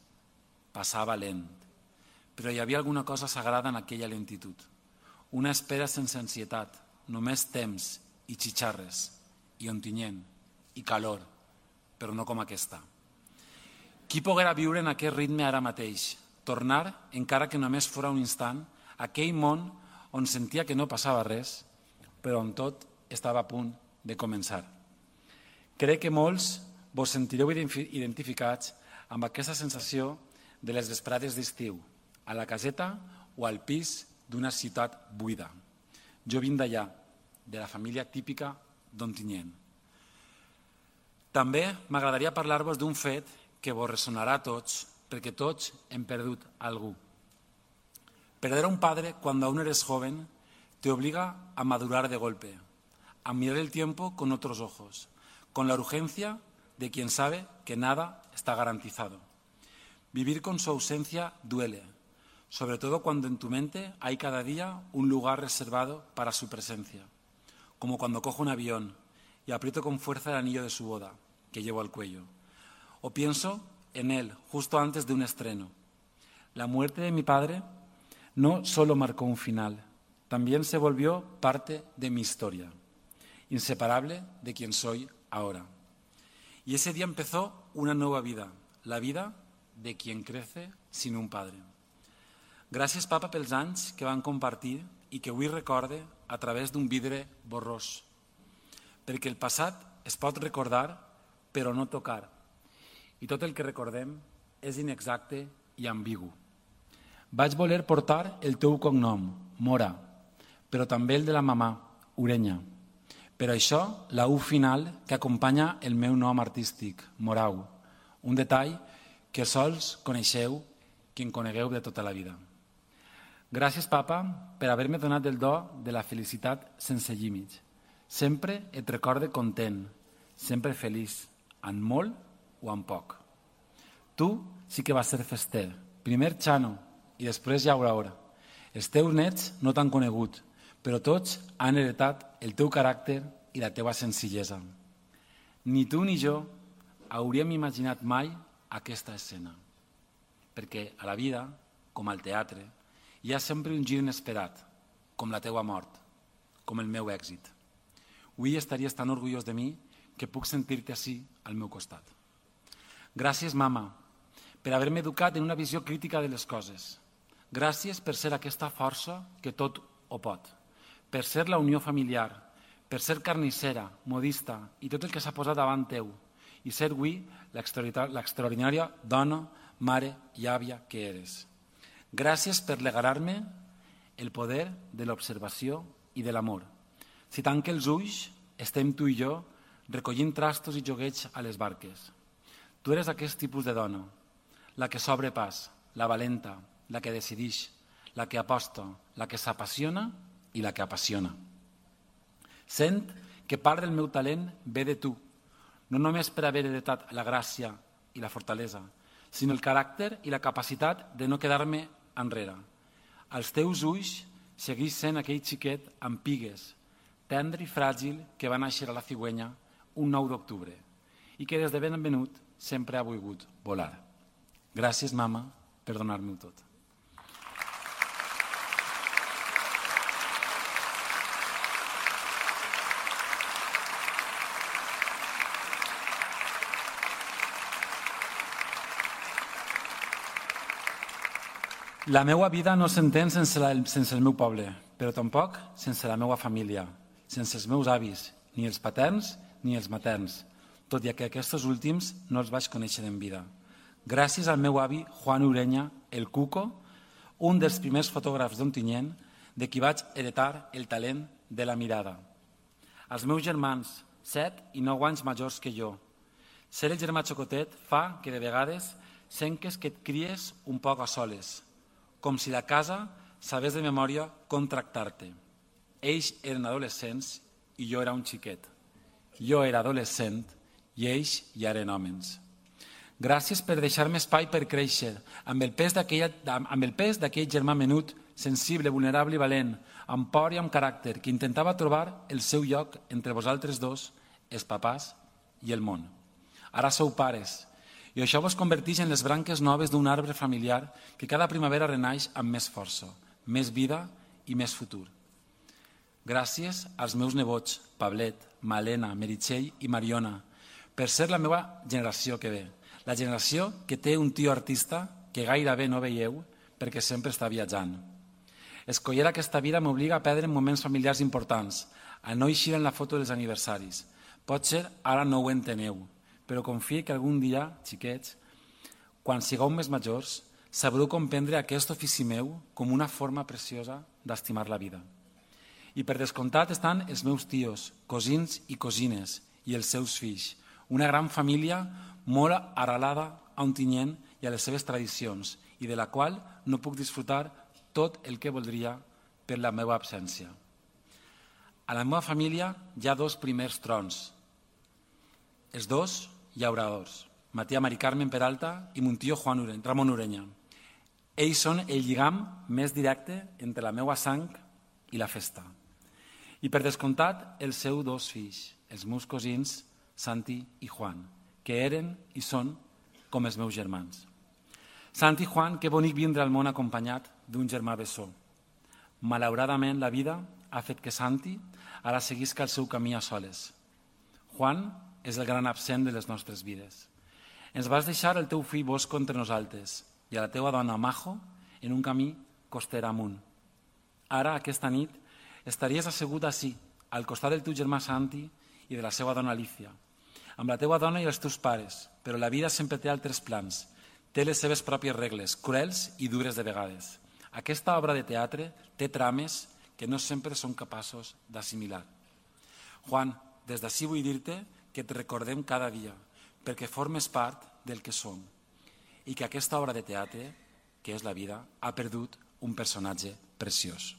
passava lent, però hi havia alguna cosa sagrada en aquella lentitud. Una espera sense ansietat, només temps i xitxarres, i ontinyent, i calor, però no com aquesta. Qui poguera viure en aquest ritme ara mateix? Tornar, encara que només fora un instant, a aquell món on sentia que no passava res, però on tot estava a punt de començar. Crec que molts vos sentireu identificats amb aquesta sensació de les vesprades d'estiu, a la caseta o al pis d'una ciutat buida. Jo vinc d'allà, de la família típica d'Ontinyent. També m'agradaria parlar-vos d'un fet que vos ressonarà a tots, perquè tots hem perdut algú. Perder a un padre cuando aún eres joven te obliga a madurar de golpe, a mirar el tiempo con otros ojos, con la urgencia de quien sabe que nada está garantizado. Vivir con su ausencia duele, sobre todo cuando en tu mente hay cada día un lugar reservado para su presencia, como cuando cojo un avión y aprieto con fuerza el anillo de su boda, que llevo al cuello, o pienso en él justo antes de un estreno. La muerte de mi padre no solo marcó un final, también se volvió parte de mi historia. inseparable de quien soy ahora. Y ese día empezó una nueva vida, la vida de quien crece sin un padre. Gràcies, papa, pels anys que van compartir i que avui recorde a través d'un vidre borrós. Perquè el passat es pot recordar, però no tocar. I tot el que recordem és inexacte i ambigu. Vaig voler portar el teu cognom, Mora, però també el de la mamà, Urenya. Per això, la U final que acompanya el meu nom artístic, Morau, un detall que sols coneixeu qui en conegueu de tota la vida. Gràcies, papa, per haver-me donat el do de la felicitat sense límits. Sempre et recorde content, sempre feliç, en molt o en poc. Tu sí que vas ser fester, primer Xano i després Llauradora. Els teus nets no t'han conegut, però tots han heretat el teu caràcter i la teva senzillesa. Ni tu ni jo hauríem imaginat mai aquesta escena, perquè a la vida, com al teatre, hi ha sempre un gir inesperat, com la teua mort, com el meu èxit. Avui estaries tan orgullós de mi que puc sentir-te ací al meu costat. Gràcies, mama, per haver-me educat en una visió crítica de les coses. Gràcies per ser aquesta força que tot ho pot, per ser la unió familiar, per ser carnissera, modista i tot el que s'ha posat davant teu, i ser avui l'extraordinària dona, mare i àvia que eres. Gràcies per regalar-me el poder de l'observació i de l'amor. Si tanque els ulls, estem tu i jo recollint trastos i joguets a les barques. Tu eres aquest tipus de dona, la que s'obre pas, la valenta, la que decideix, la que aposta, la que s'apassiona i la que apassiona. Sent que part del meu talent ve de tu, no només per haver heretat la gràcia i la fortalesa, sinó el caràcter i la capacitat de no quedar-me enrere. Als teus ulls segueix sent aquell xiquet amb pigues, tendre i fràgil que va néixer a la Cigüenya un nou d'octubre i que des de ben venut sempre ha volgut volar. Gràcies, mama, per donar-me-ho tot. La meva vida no s'entén sense, la, sense el meu poble, però tampoc sense la meva família, sense els meus avis, ni els paterns ni els materns, tot i que aquests últims no els vaig conèixer en vida. Gràcies al meu avi Juan Urenya, el Cuco, un dels primers fotògrafs d'Ontinyent, de qui vaig heretar el talent de la mirada. Els meus germans, set i nou anys majors que jo. Ser el germà xocotet fa que de vegades sentes que et cries un poc a soles, com si la casa sabés de memòria com tractar-te. Ells eren adolescents i jo era un xiquet. Jo era adolescent i ells ja eren homes. Gràcies per deixar-me espai per créixer, amb el pes d'aquell germà menut, sensible, vulnerable i valent, amb por i amb caràcter, que intentava trobar el seu lloc entre vosaltres dos, els papàs i el món. Ara sou pares, i això vos converteix en les branques noves d'un arbre familiar que cada primavera renaix amb més força, més vida i més futur. Gràcies als meus nebots, Pablet, Malena, Meritxell i Mariona, per ser la meva generació que ve, la generació que té un tio artista que gairebé no veieu perquè sempre està viatjant. Escollir aquesta vida m'obliga a perdre moments familiars importants, a no eixir en la foto dels aniversaris. Potser ara no ho enteneu, però confie que algun dia, xiquets, quan sigueu més majors, sabreu comprendre aquest ofici meu com una forma preciosa d'estimar la vida. I per descomptat estan els meus tios, cosins i cosines i els seus fills, una gran família molt arrelada a Ontinyent i a les seves tradicions i de la qual no puc disfrutar tot el que voldria per la meva absència. A la meva família hi ha dos primers trons, els dos llauradors, Matia Mari Carmen Peralta i mon tio Juan Urenya, Ramon Urenya. Ells són el lligam més directe entre la meva sang i la festa. I per descomptat, els seus dos fills, els meus cosins, Santi i Juan, que eren i són com els meus germans. Santi i Juan, que bonic vindre al món acompanyat d'un germà bessó. Malauradament, la vida ha fet que Santi ara seguisca el seu camí a soles. Juan és el gran absent de les nostres vides. Ens vas deixar el teu fill Bosco entre nosaltres i a la teua dona Majo en un camí costera amunt. Ara, aquesta nit, estaries asseguda ací, al costat del teu germà Santi i de la seva dona Alicia, amb la teua dona i els teus pares, però la vida sempre té altres plans, té les seves pròpies regles, cruels i dures de vegades. Aquesta obra de teatre té trames que no sempre són capaços d'assimilar. Juan, des d'ací vull dir-te que et recordem cada dia, perquè formes part del que som i que aquesta obra de teatre, que és la vida, ha perdut un personatge preciós.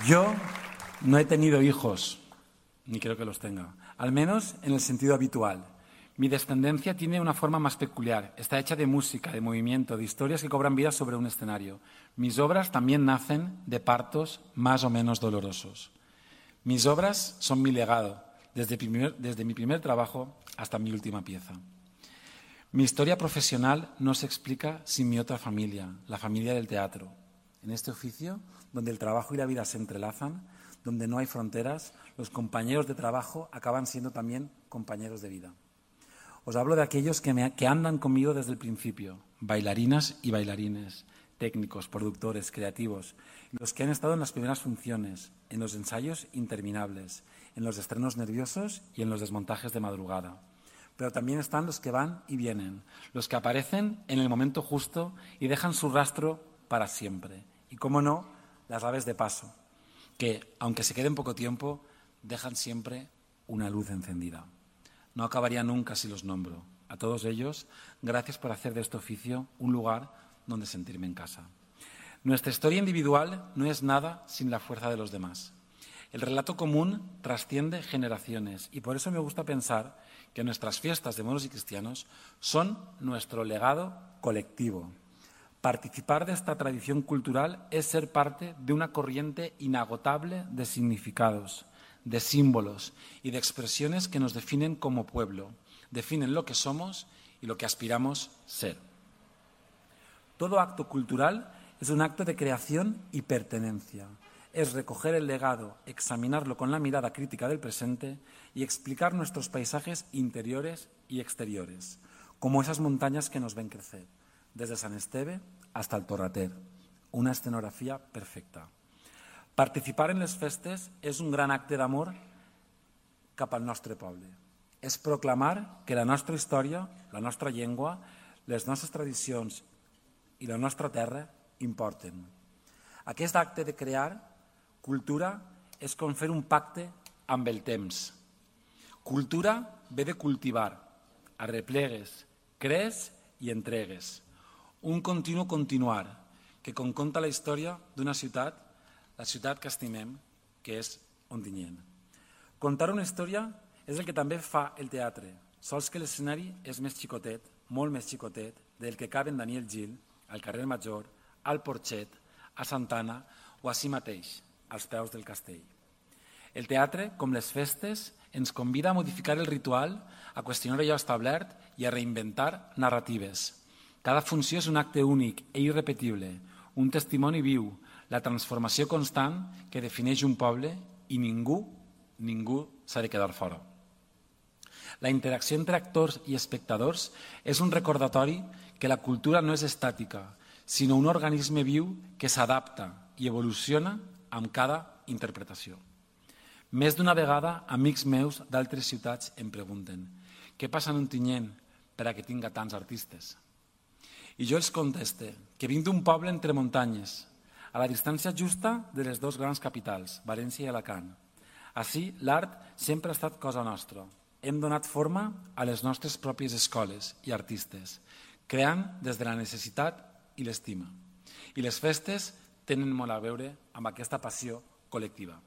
Yo no he tenido hijos, ni creo que los tenga, al menos en el sentido habitual. Mi descendencia tiene una forma más peculiar. Está hecha de música, de movimiento, de historias que cobran vida sobre un escenario. Mis obras también nacen de partos más o menos dolorosos. Mis obras son mi legado, desde, primer, desde mi primer trabajo hasta mi última pieza. Mi historia profesional no se explica sin mi otra familia, la familia del teatro. En este oficio, donde el trabajo y la vida se entrelazan, donde no hay fronteras, los compañeros de trabajo acaban siendo también compañeros de vida. Os hablo de aquellos que, me, que andan conmigo desde el principio, bailarinas y bailarines, técnicos, productores, creativos, los que han estado en las primeras funciones, en los ensayos interminables, en los estrenos nerviosos y en los desmontajes de madrugada. Pero también están los que van y vienen, los que aparecen en el momento justo y dejan su rastro para siempre. Y, cómo no, las aves de paso, que, aunque se queden poco tiempo, dejan siempre una luz encendida. No acabaría nunca si los nombro. A todos ellos, gracias por hacer de este oficio un lugar donde sentirme en casa. Nuestra historia individual no es nada sin la fuerza de los demás. El relato común trasciende generaciones y por eso me gusta pensar que nuestras fiestas de moros y cristianos son nuestro legado colectivo. Participar de esta tradición cultural es ser parte de una corriente inagotable de significados, de símbolos y de expresiones que nos definen como pueblo, definen lo que somos y lo que aspiramos ser. Todo acto cultural es un acto de creación y pertenencia. Es recoger el legado, examinarlo con la mirada crítica del presente y explicar nuestros paisajes interiores y exteriores, como esas montañas que nos ven crecer, desde San Esteve hasta el Torrater, una escenografía perfecta. Participar en les festes és un gran acte d'amor cap al nostre poble. És proclamar que la nostra història, la nostra llengua, les nostres tradicions i la nostra terra importen. Aquest acte de crear cultura és com fer un pacte amb el temps. Cultura ve de cultivar, arreplegues, crees i entregues. Un continu continuar que, com conta la història d'una ciutat, la ciutat que estimem, que és Ontinyent. Contar una història és el que també fa el teatre, sols que l'escenari és més xicotet, molt més xicotet, del que caben Daniel Gil, al carrer Major, al Porxet, a Santana o ací mateix, als peus del castell. El teatre, com les festes, ens convida a modificar el ritual, a qüestionar allò establert i a reinventar narratives. Cada funció és un acte únic i irrepetible, un testimoni viu, la transformació constant que defineix un poble i ningú, ningú s'ha de quedar fora. La interacció entre actors i espectadors és un recordatori que la cultura no és estàtica, sinó un organisme viu que s'adapta i evoluciona amb cada interpretació. Més d'una vegada, amics meus d'altres ciutats em pregunten què passa en Ontinyent per a que tinga tants artistes? I jo els conteste que vinc d'un poble entre muntanyes, a la distància justa de les dues grans capitals, València i Alacant. Així, l'art sempre ha estat cosa nostra. Hem donat forma a les nostres pròpies escoles i artistes, creant des de la necessitat i l'estima. I les festes tenen molt a veure amb aquesta passió col·lectiva.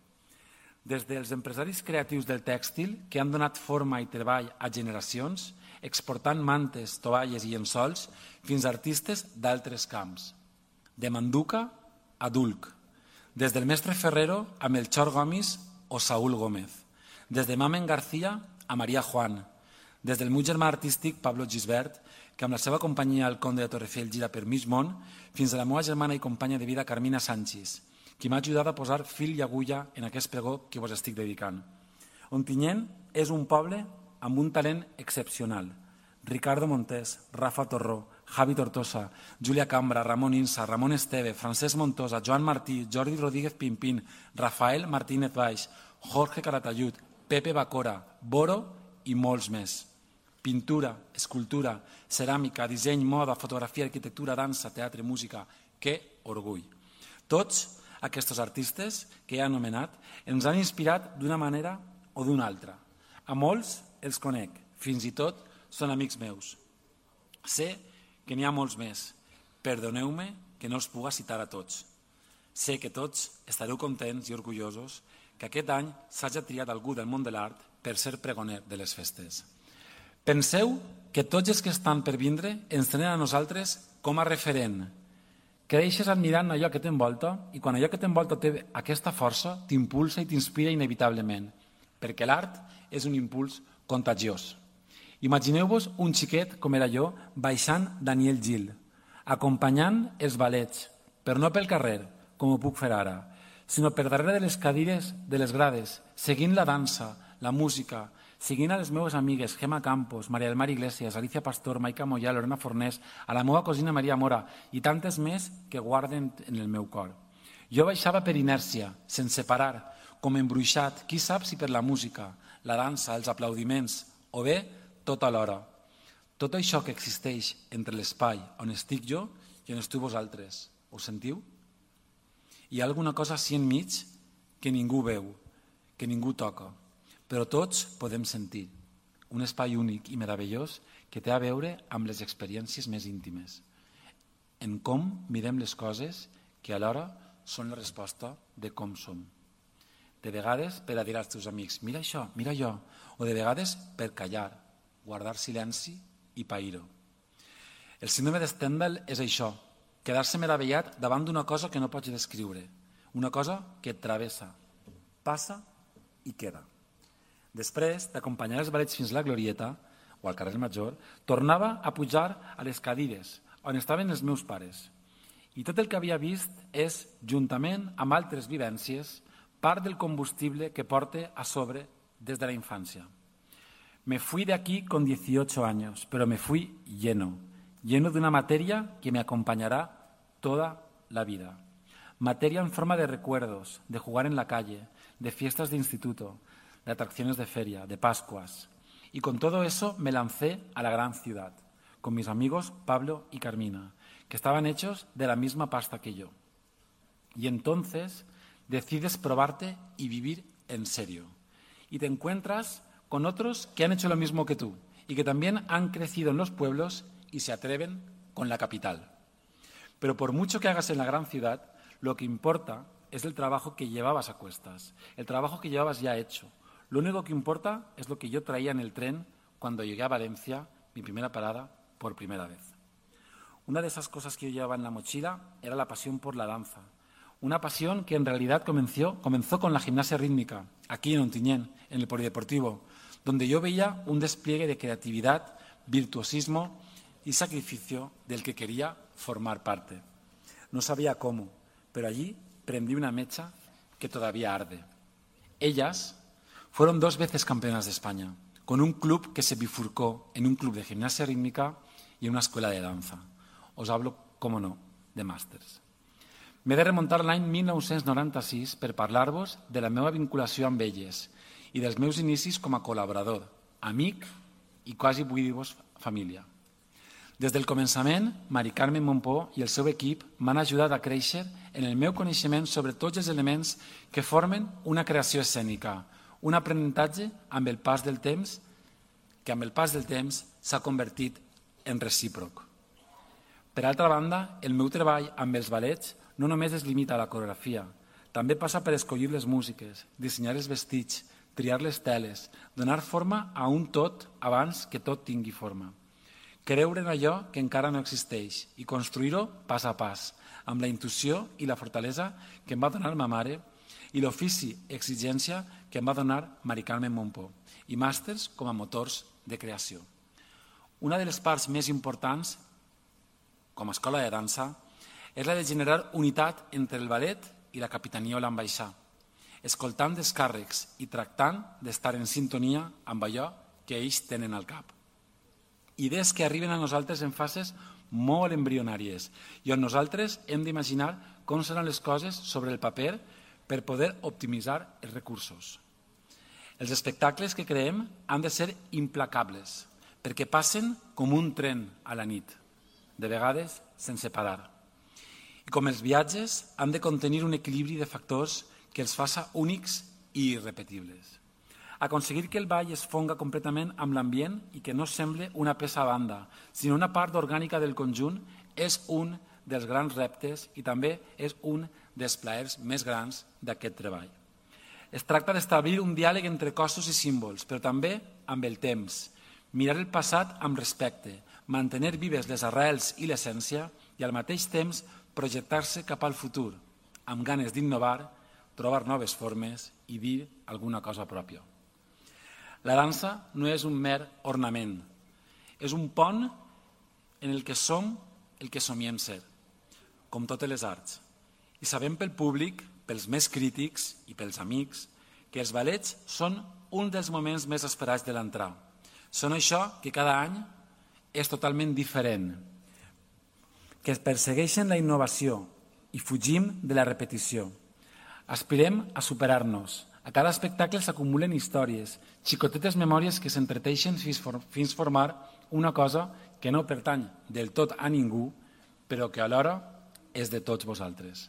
Des dels empresaris creatius del tèxtil, que han donat forma i treball a generacions, exportant mantes, tovalles i llençols, fins a artistes d'altres camps. De Manduca a Dulc, des del mestre Ferrero a Melchor Gomis o Saúl Gómez, des de Mamen García a Maria Juan, des del meu germà artístic Pablo Gisbert, que amb la seva companyia El Conde de Torrefell gira per mig món, fins a la meva germana i companya de vida Carmina Sanchis, qui m'ha ajudat a posar fil i agulla en aquest pregó que vos estic dedicant. Ontinyent és un poble amb un talent excepcional. Ricardo Montés, Rafa Torró, Javi Tortosa, Júlia Cambra, Ramon Insa, Ramon Esteve, Francesc Montosa, Joan Martí, Jordi Rodríguez Pimpín, Rafael Martínez Baix, Jorge Calatayud, Pepe Bacora, Boro i molts més. Pintura, escultura, ceràmica, disseny, moda, fotografia, arquitectura, dansa, teatre, música. Que orgull! Tots aquests artistes que he anomenat ens han inspirat d'una manera o d'una altra. A molts els conec, fins i tot són amics meus. Sé que n'hi ha molts més. Perdoneu-me que no els puga citar a tots. Sé que tots estareu contents i orgullosos que aquest any s'hagi triat algú del món de l'art per ser pregoner de les festes. Penseu que tots els que estan per vindre ens tenen a nosaltres com a referent. Creixes admirant allò que t'envolta i quan allò que t'envolta té aquesta força t'impulsa i t'inspira inevitablement, perquè l'art és un impuls contagiós. Imagineu-vos un xiquet com era jo baixant Daniel Gil, acompanyant els ballets, però no pel carrer, com ho puc fer ara, sinó per darrere de les cadires de les grades, seguint la dansa, la música, seguint a les meves amigues Gemma Campos, Maria del Mar Iglesias, Alicia Pastor, Maica Moyà, Lorena Fornés, a la meva cosina Maria Mora i tantes més que guarden en el meu cor. Jo baixava per inèrcia, sense parar, com embruixat, qui sap si per la música, la dansa, els aplaudiments, o bé tot alhora. Tot això que existeix entre l'espai on estic jo i on esteu vosaltres, ho sentiu? Hi ha alguna cosa així enmig que ningú veu, que ningú toca, però tots podem sentir un espai únic i meravellós que té a veure amb les experiències més íntimes, en com mirem les coses que alhora són la resposta de com som. De vegades per a dir als teus amics, mira això, mira allò, o de vegades per callar, guardar silenci i pair-ho. El síndrome de Stendhal és això, quedar-se meravellat davant d'una cosa que no pots descriure, una cosa que et travessa, passa i queda. Després d'acompanyar els ballets fins a la Glorieta, o al carrer Major, tornava a pujar a les cadires on estaven els meus pares. I tot el que havia vist és, juntament amb altres vivències, part del combustible que porte a sobre des de la infància. Me fui de aquí con dieciocho años, pero me fui lleno, lleno de una materia que me acompañará toda la vida. Materia en forma de recuerdos, de jugar en la calle, de fiestas de instituto, de atracciones de feria, de Pascuas. Y con todo eso me lancé a la gran ciudad, con mis amigos Pablo y Carmina, que estaban hechos de la misma pasta que yo. Y entonces decides probarte y vivir en serio. Y te encuentras con otros que han hecho lo mismo que tú y que también han crecido en los pueblos y se atreven con la capital. Pero por mucho que hagas en la gran ciudad, lo que importa es el trabajo que llevabas a cuestas, el trabajo que llevabas ya hecho. Lo único que importa es lo que yo traía en el tren cuando llegué a Valencia, mi primera parada, por primera vez. Una de esas cosas que yo llevaba en la mochila era la pasión por la danza. Una pasión que en realidad comenzó, comenzó con la gimnasia rítmica, aquí en Ontinyent, en el Polideportivo, donde yo veía un despliegue de creatividad, virtuosismo y sacrificio del que quería formar parte. No sabía cómo, pero allí prendí una mecha que todavía arde. Ellas fueron dos veces campeonas de España, con un club que se bifurcó en un club de gimnasia rítmica y en una escuela de danza. Os hablo, cómo no, de màsters. M'he de remuntar l'any mil nou-cents noranta-sis per parlar-vos de la meva vinculació amb elles i dels meus inicis com a col·laborador, amic i quasi vull dir-vos família. Des del començament, Mari Carmen Montpó i el seu equip m'han ajudat a créixer en el meu coneixement sobre tots els elements que formen una creació escènica, un aprenentatge amb el pas del temps que amb el pas del temps s'ha convertit en recíproc. Per altra banda, el meu treball amb els ballets no només es limita a la coreografia, també passa per escollir les músiques, dissenyar els vestits, triar les teles, donar forma a un tot abans que tot tingui forma. Creure en allò que encara no existeix i construir-ho pas a pas, amb la intuïció i la fortalesa que em va donar ma mare i l'ofici exigència que em va donar Mari Carmen Mompó i màsters com a motors de creació. Una de les parts més importants com a escola de dansa és la de generar unitat entre el ballet i la capitania o l'ambaixà, escoltant descàrrecs i tractant d'estar en sintonia amb allò que ells tenen al cap. Idees que arriben a nosaltres en fases molt embrionàries i on nosaltres hem d'imaginar com seran les coses sobre el paper per poder optimitzar els recursos. Els espectacles que creem han de ser implacables perquè passen com un tren a la nit, de vegades sense parar. I com els viatges han de contenir un equilibri de factors que els faça únics i irrepetibles. Aconseguir que el ball es fonga completament amb l'ambient i que no sembli una peça a banda, sinó una part orgànica del conjunt, és un dels grans reptes i també és un dels plaers més grans d'aquest treball. Es tracta d'establir un diàleg entre cossos i símbols, però també amb el temps, mirar el passat amb respecte, mantenir vives les arrels i l'essència i al mateix temps projectar-se cap al futur, amb ganes d'innovar, trobar noves formes i dir alguna cosa pròpia. La dansa no és un mer ornament, és un pont en el que som el que somiem ser, com totes les arts. I sabem pel públic, pels més crítics i pels amics, que els ballets són un dels moments més esperats de l'entrada. Són això que cada any és totalment diferent, que persegueixen la innovació i fugim de la repetició. Aspirem a superar-nos. A cada espectacle s'acumulen històries, xicotetes memòries que s'entreteixen fins formar una cosa que no pertany del tot a ningú, però que alhora és de tots vosaltres.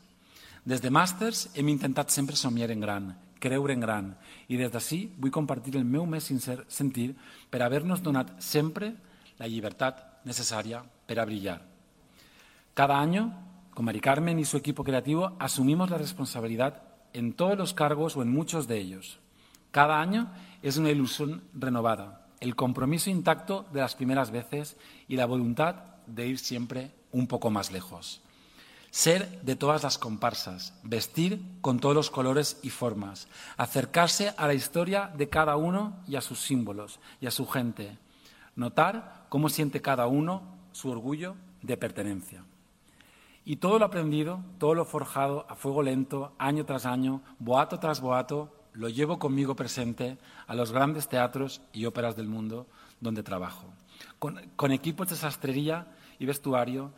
Des de màsters hem intentat sempre somiar en gran, creure en gran, i des d'ací vull compartir el meu més sincer sentir per haver-nos donat sempre la llibertat necessària per a brillar. Cada año, con Mari Carmen y su equipo creativo, asumimos la responsabilidad en todos los cargos o en muchos de ellos. Cada año es una ilusión renovada, el compromiso intacto de las primeras veces y la voluntad de ir siempre un poco más lejos. Ser de todas las comparsas, vestir con todos los colores y formas, acercarse a la historia de cada uno y a sus símbolos y a su gente, notar cómo siente cada uno su orgullo de pertenencia. Y todo lo aprendido, todo lo forjado a fuego lento, año tras año, boato tras boato, lo llevo conmigo presente a los grandes teatros y óperas del mundo donde trabajo, con, con equipos de sastrería y vestuario,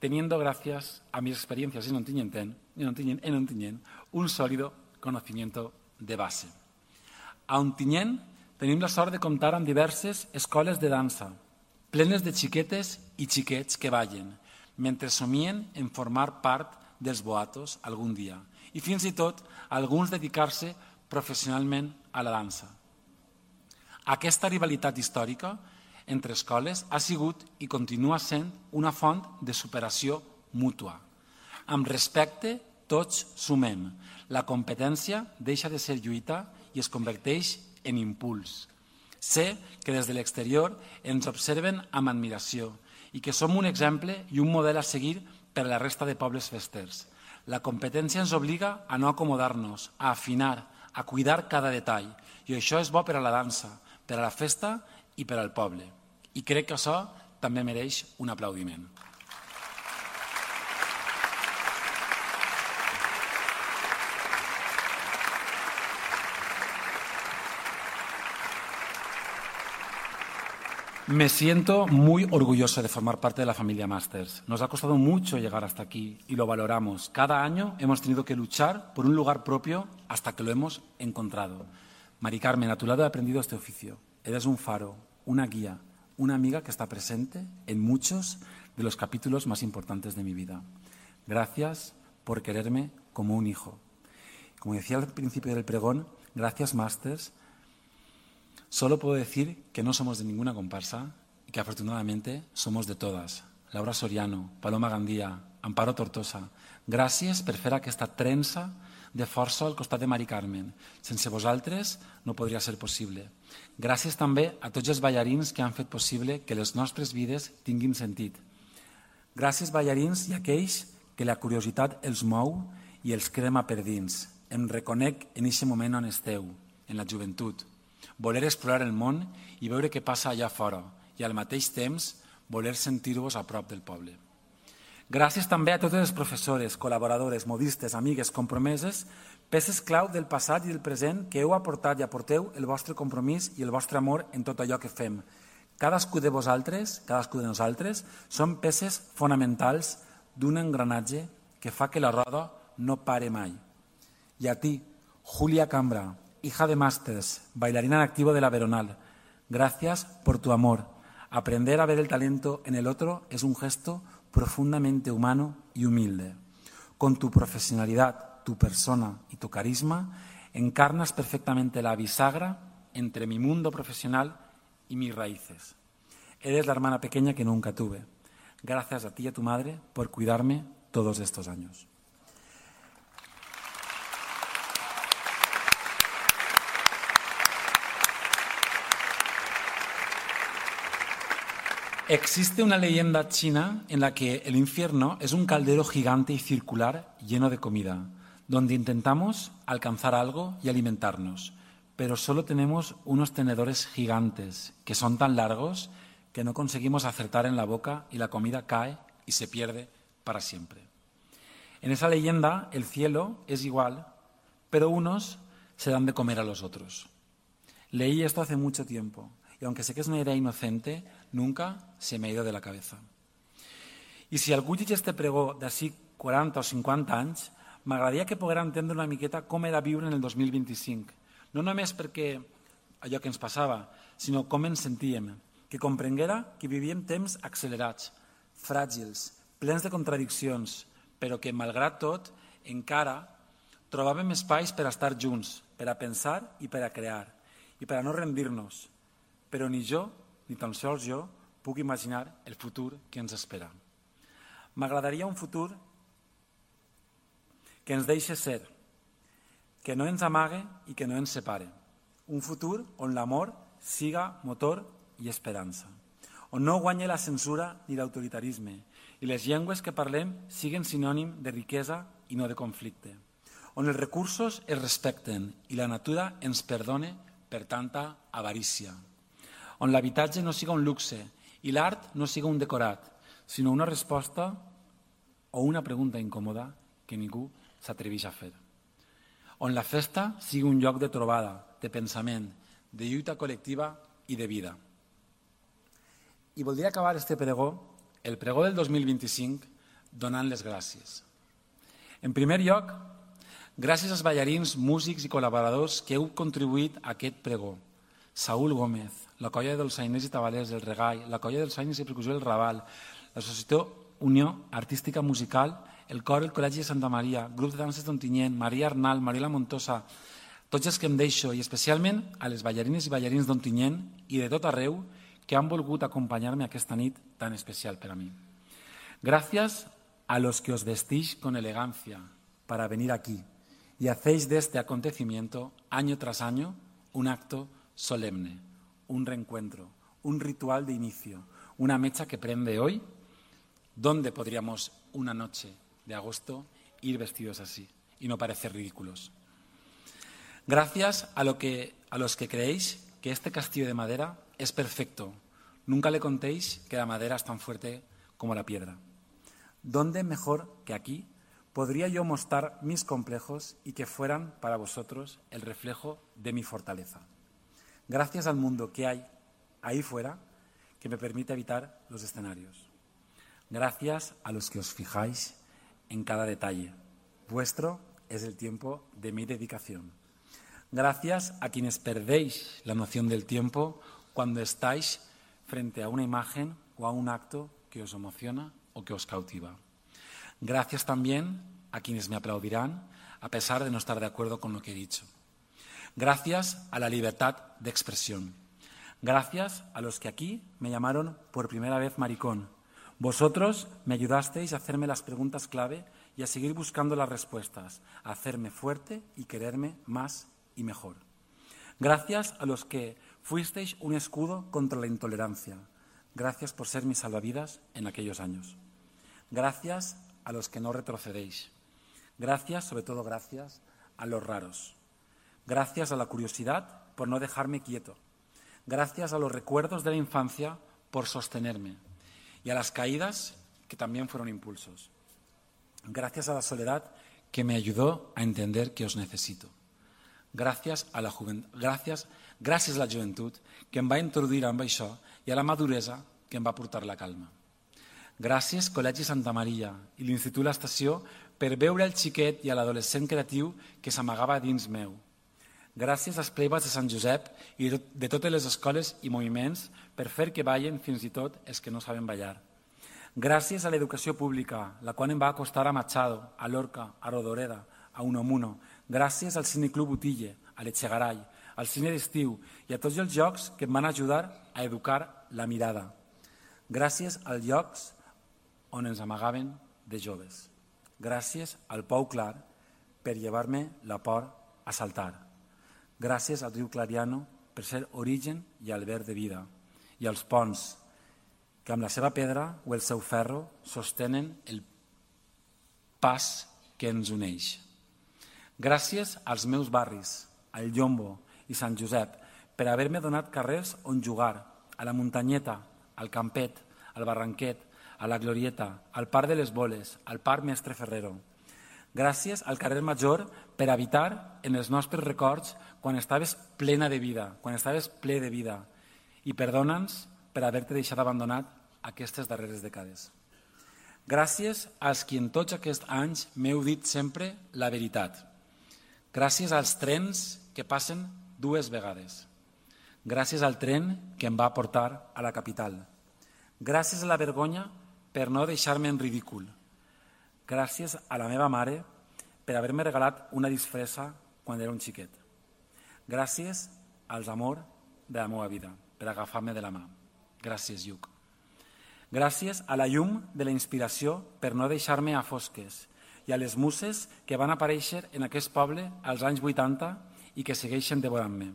teniendo gracias a mis experiencias en Ontinyent, en Ontinyent, en Ontinyent, un sólido conocimiento de base. A Ontinyent tenim la sort de comptar amb diverses escoles de dansa, plenes de xiquetes i xiquets que ballen, mentre somien en formar part dels boatos algun dia i fins i tot alguns dedicar-se professionalment a la dansa. Aquesta rivalitat històrica entre escoles ha sigut i continua sent una font de superació mútua. Amb respecte, tots sumem. La competència deixa de ser lluita i es converteix en impuls. Sé que des de l'exterior ens observen amb admiració i que som un exemple i un model a seguir per a la resta de pobles festers. La competència ens obliga a no acomodar-nos, a afinar, a cuidar cada detall. I això és bo per a la dansa, per a la festa i per al poble. I crec que això també mereix un aplaudiment. Me siento muy orgulloso de formar parte de la familia Masters. Nos ha costado mucho llegar hasta aquí y lo valoramos. Cada año hemos tenido que luchar por un lugar propio hasta que lo hemos encontrado. Mari Carmen, a tu lado he aprendido este oficio. Eres un faro, una guía, una amiga que está presente en muchos de los capítulos más importantes de mi vida. Gracias por quererme como un hijo. Como decía al principio del pregón, gracias Masters. Solo puedo decir que no somos de ninguna comparsa y que afortunadamente somos de todas. Laura Soriano, Paloma Gandía, Amparo Tortosa, gràcies per fer aquesta trença de força al costat de Mari Carmen. Sense vosaltres no podria ser possible. Gràcies també a tots els ballarins que han fet possible que les nostres vides tinguin sentit. Gràcies ballarins i aquells que la curiositat els mou i els crema per dins. em reconec en aquest moment on esteu, en la joventut, voler explorar el món i veure què passa allà fora i al mateix temps voler sentir-vos a prop del poble. Gràcies també a totes les professores, col·laboradores, modistes, amigues, compromeses, peces clau del passat i del present que heu aportat i aporteu el vostre compromís i el vostre amor en tot allò que fem. Cadascú de vosaltres, cadascú de nosaltres, són peces fonamentals d'un engranatge que fa que la roda no pare mai. Y a ti, Julia Cambra, hija de másters, bailarina en activo de la Veronal, gracias por tu amor. Aprender a ver el talento en el otro es un gesto profundamente humano y humilde. Con tu profesionalidad, tu persona y tu carisma, encarnas perfectamente la bisagra entre mi mundo profesional y mis raíces. Eres la hermana pequeña que nunca tuve. Gracias a ti y a tu madre por cuidarme todos estos años. Existe una leyenda china en la que el infierno es un caldero gigante y circular lleno de comida, donde intentamos alcanzar algo y alimentarnos, pero solo tenemos unos tenedores gigantes que son tan largos que no conseguimos acertar en la boca y la comida cae y se pierde para siempre. En esa leyenda el cielo es igual, pero unos se dan de comer a los otros. Leí esto hace mucho tiempo. Y aunque sé que es una idea inocente, nunca se me ha ido de la cabeza. I si algú llegeix este pregó d'ací quaranta o cinquanta anys, m'agradaria que poguera entendre una miqueta com era viure en el dos mil vint-i-cinc. No només perquè allò que ens passava, sinó com ens sentíem, que comprenguera que vivíem temps accelerats, fràgils, plens de contradiccions, però que, malgrat tot, encara trobàvem espais per a estar junts, per a pensar i per a crear, i per a no rendir-nos. Però ni jo, ni tan sols jo, puc imaginar el futur que ens espera. M'agradaria un futur que ens deixi ser, que no ens amague i que no ens separe. Un futur on l'amor siga motor i esperança, on no guanyi la censura ni l'autoritarisme i les llengües que parlem siguen sinònim de riquesa i no de conflicte, on els recursos es respecten i la natura ens perdone per tanta avarícia, on l'habitatge no siga un luxe i l'art no siga un decorat, sinó una resposta o una pregunta incòmoda que ningú s'atreveix a fer. On la festa sigui un lloc de trobada, de pensament, de lluita col·lectiva i de vida. I voldria acabar este pregó, el pregó del dos mil vint-i-cinc, donant les gràcies. En primer lloc, gràcies als ballarins, músics i col·laboradors que heu contribuït a aquest pregó. Saúl Gómez, la colla dels Sainers i Tabalers, el Regall, la colla dels Sainers i Percussió del Raval, l'Associació Unió Artística Musical, el cor del Col·legi de Santa Maria, grup de danses d'Ontinyent, Maria Arnal, Mariela Montosa, tots els que em deixo, i especialment a les ballarines i ballarins d'Ontinyent i de tot arreu que han volgut acompanyar-me aquesta nit tan especial per a mi. Gràcies a los que os vestís con elegancia para venir aquí y hacéis de este acontecimiento, año tras año, un acto solemne, un reencuentro, un ritual de inicio, una mecha que prende hoy. ¿Dónde podríamos una noche de agosto ir vestidos así y no parecer ridículos? Gracias a, lo que, a los que creéis que este castillo de madera es perfecto. Nunca le contéis que la madera es tan fuerte como la piedra. ¿Dónde mejor que aquí podría yo mostrar mis complejos y que fueran para vosotros el reflejo de mi fortaleza? Gracias al mundo que hay ahí fuera que me permite habitar los escenarios. Gracias a los que os fijáis en cada detalle. Vuestro es el tiempo de mi dedicación. Gracias a quienes perdéis la noción del tiempo cuando estáis frente a una imagen o a un acto que os emociona o que os cautiva. Gracias también a quienes me aplaudirán a pesar de no estar de acuerdo con lo que he dicho. Gracias a la libertad de expresión. Gracias a los que aquí me llamaron por primera vez maricón. Vosotros me ayudasteis a hacerme las preguntas clave y a seguir buscando las respuestas, a hacerme fuerte y quererme más y mejor. Gracias a los que fuisteis un escudo contra la intolerancia. Gracias por ser mis salvavidas en aquellos años. Gracias a los que no retrocedéis. Gracias, sobre todo gracias, a los raros. Gracias a la curiosidad por no dejarme quieto. Gracias a los recuerdos de la infancia por sostenerme. Y a las caídas que también fueron impulsos. Gracias a la soledad que me ayudó a entender que os necesito. Gràcies a la joventut, gràcies, gràcies a la joventut que em va introduir amb això i a la maduresa que em va portar la calma. Gràcies, Col·legi Santa Maria i l'Institut L'Estació, per veure el xiquet i a l'adolescent creatiu que s'amagava dins meu. Gràcies als pleibats de Sant Josep i de totes les escoles i moviments per fer que ballen fins i tot els que no saben ballar. Gràcies a l'educació pública, la qual em va acostar a Machado, a Lorca, a Rodoreda, a Unamuno. Gràcies al Cineclub Utille, a l'Echegaray, al Cine d'Estiu i a tots els llocs que em van ajudar a educar la mirada. Gràcies als llocs on ens amagaven de joves. Gràcies al Pou Clar per llevar-me la por a saltar. Gràcies al riu Clariano per ser origen i alberg de vida. I als ponts, que amb la seva pedra o el seu ferro sostenen el pas que ens uneix. Gràcies als meus barris, al Llombo i Sant Josep, per haver-me donat carrers on jugar, a la Muntanyeta, al Campet, al Barranquet, a la Glorieta, al Parc de les Boles, al Parc Mestre Ferrero. Gràcies al carrer Major per habitar en els nostres records quan estaves plena de vida, quan estaves ple de vida. I perdona'ns per haver-te deixat abandonat aquestes darreres dècades. Gràcies als qui en tots aquests anys m'heu dit sempre la veritat. Gràcies als trens que passen dues vegades. Gràcies al tren que em va portar a la capital. Gràcies a la vergonya per no deixar-me en ridícul. Gràcies a la meva mare per haver-me regalat una disfressa quan era un xiquet. Gràcies als amors de la meva vida per agafar-me de la mà. Gràcies, Lluc. Gràcies a la llum de la inspiració per no deixar-me a fosques i a les muses que van aparèixer en aquest poble als anys vuitanta i que segueixen devorant-me.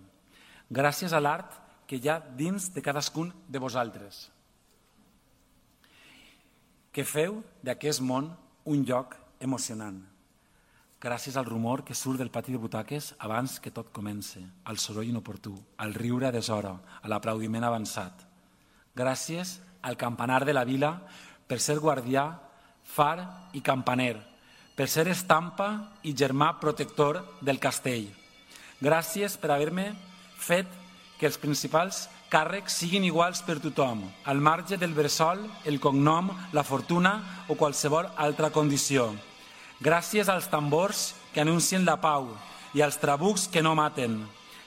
Gràcies a l'art que hi ha dins de cadascun de vosaltres, que feu d'aquest món un lloc emocionant. Gràcies al rumor que surt del pati de butaques abans que tot comence, al soroll inoportú, al riure a deshora, a l'aplaudiment avançat. Gràcies al campanar de la vila per ser guardià, far i campaner, per ser estampa i germà protector del castell. Gràcies per haver-me fet que els principals càrrecs siguin iguals per tothom, al marge del bressol, el cognom, la fortuna o qualsevol altra condició. Gràcies als tambors que anuncien la pau i als trabucs que no maten.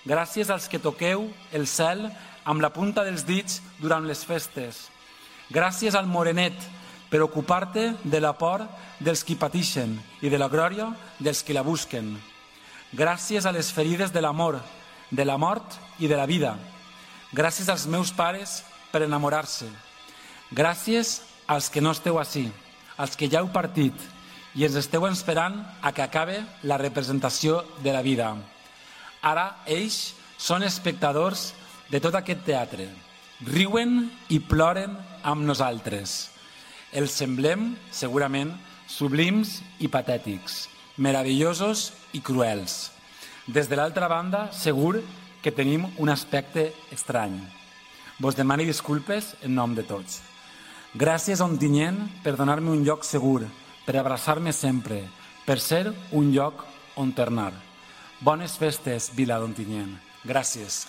Gràcies als que toqueu el cel amb la punta dels dits durant les festes. Gràcies al morenet per ocupar-te de la por dels qui pateixen i de la glòria dels qui la busquen. Gràcies a les ferides de l'amor, de la mort i de la vida. Gràcies als meus pares per enamorar-se. Gràcies als que no esteu ací, als que ja heu partit i ens esteu esperant a que acabe la representació de la vida. Ara ells són espectadors de tot aquest teatre. Riuen i ploren amb nosaltres. Els semblem, segurament, sublims i patètics, meravellosos i cruels. Des de l'altra banda, segur que tenim un aspecte estrany. Vos demano disculpes en nom de tots. Gràcies, Ontinyent, per donar-me un lloc segur, per abraçar-me sempre, per ser un lloc on tornar. Bones festes, Vila d'Ontinyent. Gràcies.